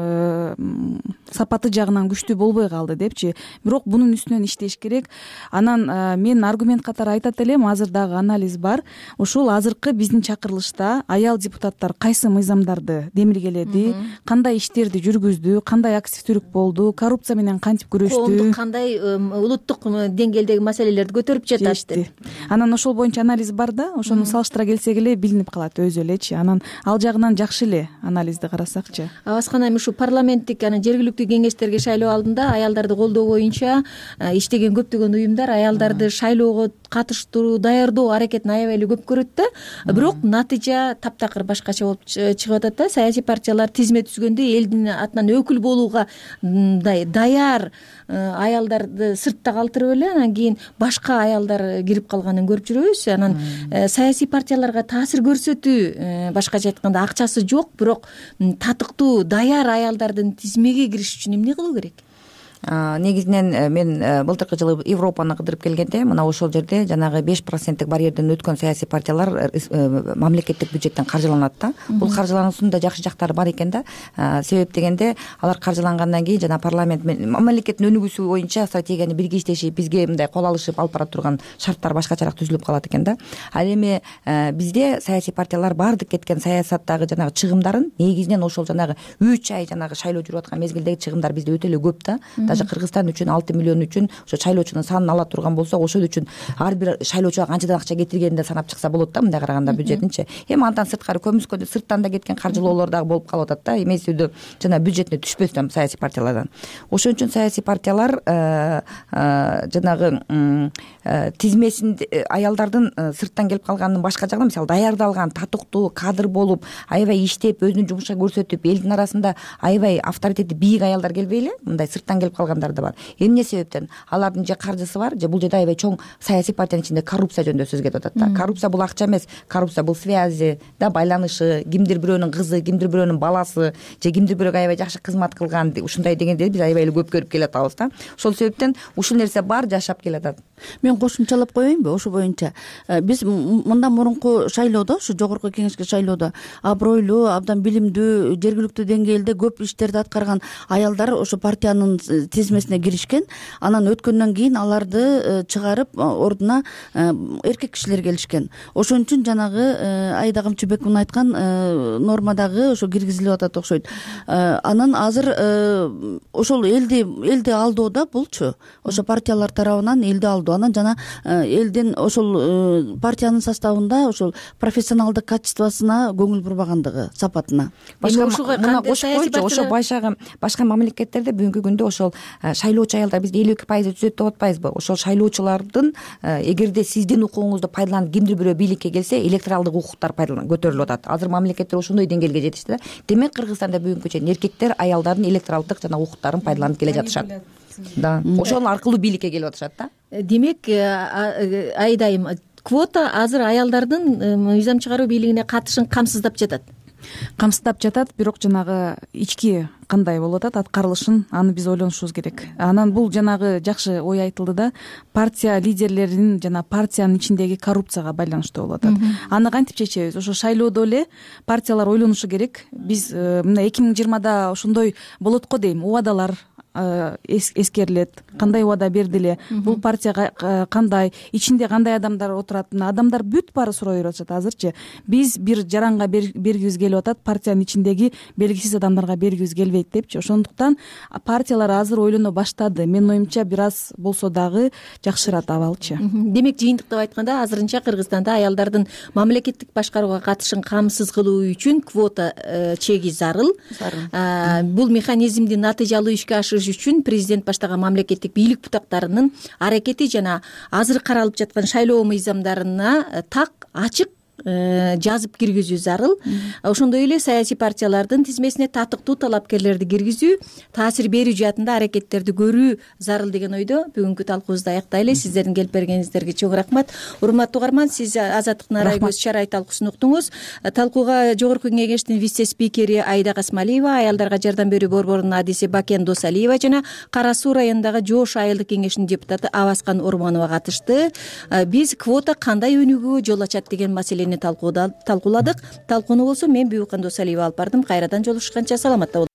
сапаты жагынан күчтүү болбой калды депчи. Бирок бунун үстүнөн иштеш керек. Анан мен аргумент катары айтат элем, азыр дагы анализ бар. Ушул азыркы биздин чакырылышта аял депутаттар кайсы мыйзамдарды демилгеледи, кандай иштерди жүргүздү, кандай активдүүлүк болду, коррупция менен кантип күрөштү, коомдук кандай улуттук деңгээлдеги маселелерди көтөрүп жатышты. Анан ошол боюнча анализ бар да, ошону салыштыра келсек эле билинип калат өзү элечи. Анан ал жагынан жакшы эле анализди карасакчы. Абаскана эми ушу парламенттик анан жергиликтүү кеңештерге шайлоо алдында аялдарды колдоо боюнча иштеген көптөгөн уюмдар аялдарды шайлоого катыштыруу, даярдоо аракетин аябай эле көп көрөт да. Бирок натыйжа таптакыр башкача болуп чыгып атат да. Саясий партиялар тизме түзгөндө элдин атынан өкүл болууга мындай даяр аялдарды сыртта калтырып эле анан кийин башка аялдар кирип калганын көрүп жүрөбүз. Анан саясий партияларга таасир көрсөтүү, башкача айтканда акчасы жок, бирок татыктуу даяр аялдардын тизмеге кириш үчүн эмне кылуу керек? Негизинен мен былтыркы жылы Европаны кыдырып келгенде мына ошол жерде жанагы беш проценттик барьерден өткөн саясий партиялар мамлекеттик бюджеттен каржыланат да. Бул каржылануусунун да жакшы жактары бар экен да. Себеп дегенде алар каржылангандан кийин жана парламент мамлекеттин өнүгүүсү боюнча стратегияны бирге иштешип, бизге мындай кол алышып алып бара турган шарттар башкачараак түзүлүп калат экен да. Ал эми бизде саясий партиялар баардык кеткен саясаттагы жанагы чыгымдарын негизинен ошол жанагы үч ай жанагы шайлоо жүрүп аткан мезгилдеги чыгымдар бизде өтө эле көп да. Даже Кыргызстан үчүн алты миллион үчүн ошо шайлоочунун санын ала турган болсок, ошол үчүн ар бир шайлоочуга канчадан акча кетиргенин да санап чыкса болот да, мындай караганда бюджетинчи. Эми андан сырткары көмүскөдө сырттан да кеткен каржылоолор дагы болуп калып атат да, эмесүүдө жана бюджетине түшпөстөн саясий партиялардан. Ошон үчүн саясий партиялар жанагы тизмесин аялдардын сырттан келип калганын башка жагынан, мисалы даярдалган татыктуу кадр болуп, аябай иштеп, өзүнүн жумушун көрсөтүп, элдин арасында аябай авторитети бийик аялдар келбей эле мындай сырттан келип калгандар да бар. Эмне себептен? Алардын же каржысы бар, же бул жерде аябай чоң саясий партиянын ичинде коррупция жөнүндө сөз кетип атат да. Коррупция бул акча эмес, коррупция бул связи да, байланышы, кимдир бирөөнүн кызы, кимдир бирөөнүн баласы, же кимдир бирөөгө аябай жакшы кызмат кылган, ушундай дегенде биз аябай эле көп көрүп келатабыз да. Ошол себептен ушул нерсе бар, жашап келатат. Мен кошумчалап коеюнбу ошол боюнча? Биз мындан мурунку шайлоодо, ушу жогорку кеңешке шайлоодо абройлуу, абдан билимдүү, жергиликтүү деңгээлде көп иштерди аткарган аялдар ошо партиянын тизмесине киришкен. Анан өткөндөн кийин аларды чыгарып ордуна эркек кишилер келишкен. Ошон үчүн жанагы Айда Камчыбековдун айткан нормадагы ошо киргизилип атат окшойт. Анан азыр ошол элди элди алдоодо булчу ошо партиялар тарабынан элди алдоо. Анан жана элдин ошол партиянын составында ошол профессионалдык качествосуна көңүл бурбагандыгы, сапатына. Башка мына кошуп койчу, ошо башка башка мамлекеттерде бүгүнкү күндө ошол шайлоочу аялдар бизде элүү эки пайыз түзөт деп атпайбызбы? Ошол шайлоочулардын эгерде сиздин укугуңузду пайдаланып кимдир бирөө бийликке келсе, электоралдык укуктар көтөрүлүп атат. Азыр мамлекеттер ошондой деңгээлге жетишти да. Демек Кыргызстанда бүгүнкү чейин эркектер аялдардын электоралдык жана укуктарын пайдаланып келе жатышат. Да, ошол аркылуу бийликке келип атышат да. Демек Айдайым, квота азыр аялдардын мыйзам чыгаруу бийлигине катышын камсыздап жатат. камсыздап жатат, бирок жанагы ички кандай болуп атат аткарылышын аны биз ойлонушубуз керек. Анан бул жанагы жакшы ой айтылды да, партия лидерлеринин жана партиянын ичиндеги коррупцияга байланыштуу болуп атат. Аны кантип чечебиз? Ошо шайлоодо эле партиялар ойлонушу керек. Биз мына эки миң жыйырмада ошондой болот го дейм, убадалар эскерилет, кандай убада берди эле, бул партияга кандай, ичинде кандай адамдар отурат, адамдар бүт баары сурай берип атышат азырчы. Биз бир жаранга бергибиз келип атат, партиянын ичиндеги белгисиз адамдарга бергибиз келбейт депчи. Ошондуктан партиялар азыр ойлоно баштады. Менин оюмча бир аз болсо дагы жакшырат абалчы. Демек жыйынтыктап айтканда азырынча Кыргызстанда аялдардын мамлекеттик башкарууга катышын камсыз кылуу үчүн квота чеги зарыл. Бул механизмди натыйжалуу ишке ашырыш үчүн президент баштаган мамлекеттик бийлик бутактарынын аракети жана азыр каралып жаткан шайлоо мыйзамдарына так, ачык жазып киргизүү зарыл. Ошондой эле саясий партиялардын тизмесине татыктуу талапкерлерди киргизүү, таасир берүү жаатында аракеттерди көрүү зарыл деген ойдо бүгүнкү талкуубузду аяктайлы. Сиздердин келип бергениңиздерге чоң рахмат. Урматтуу угарман, сиз Азаттыктын арай көз чарай талкуусун уктуңуз. Талкууга Жогорку Кеңештин вице спикери Айда Касмалиева, аялдарга жардам берүү борборунун адиси Бакен Досалиева жана Кара Суу районундагы Жоош айылдык кеңешинин депутаты Абаскан Ормонова катышты. Биз квота кандай өнүгүүгө жол ачат деген маселени талкууладык. Талкууну болсо мен Бүйүкан Досалиева алып бардым. Кайрадан жолугушканча саламатта болуңуздар.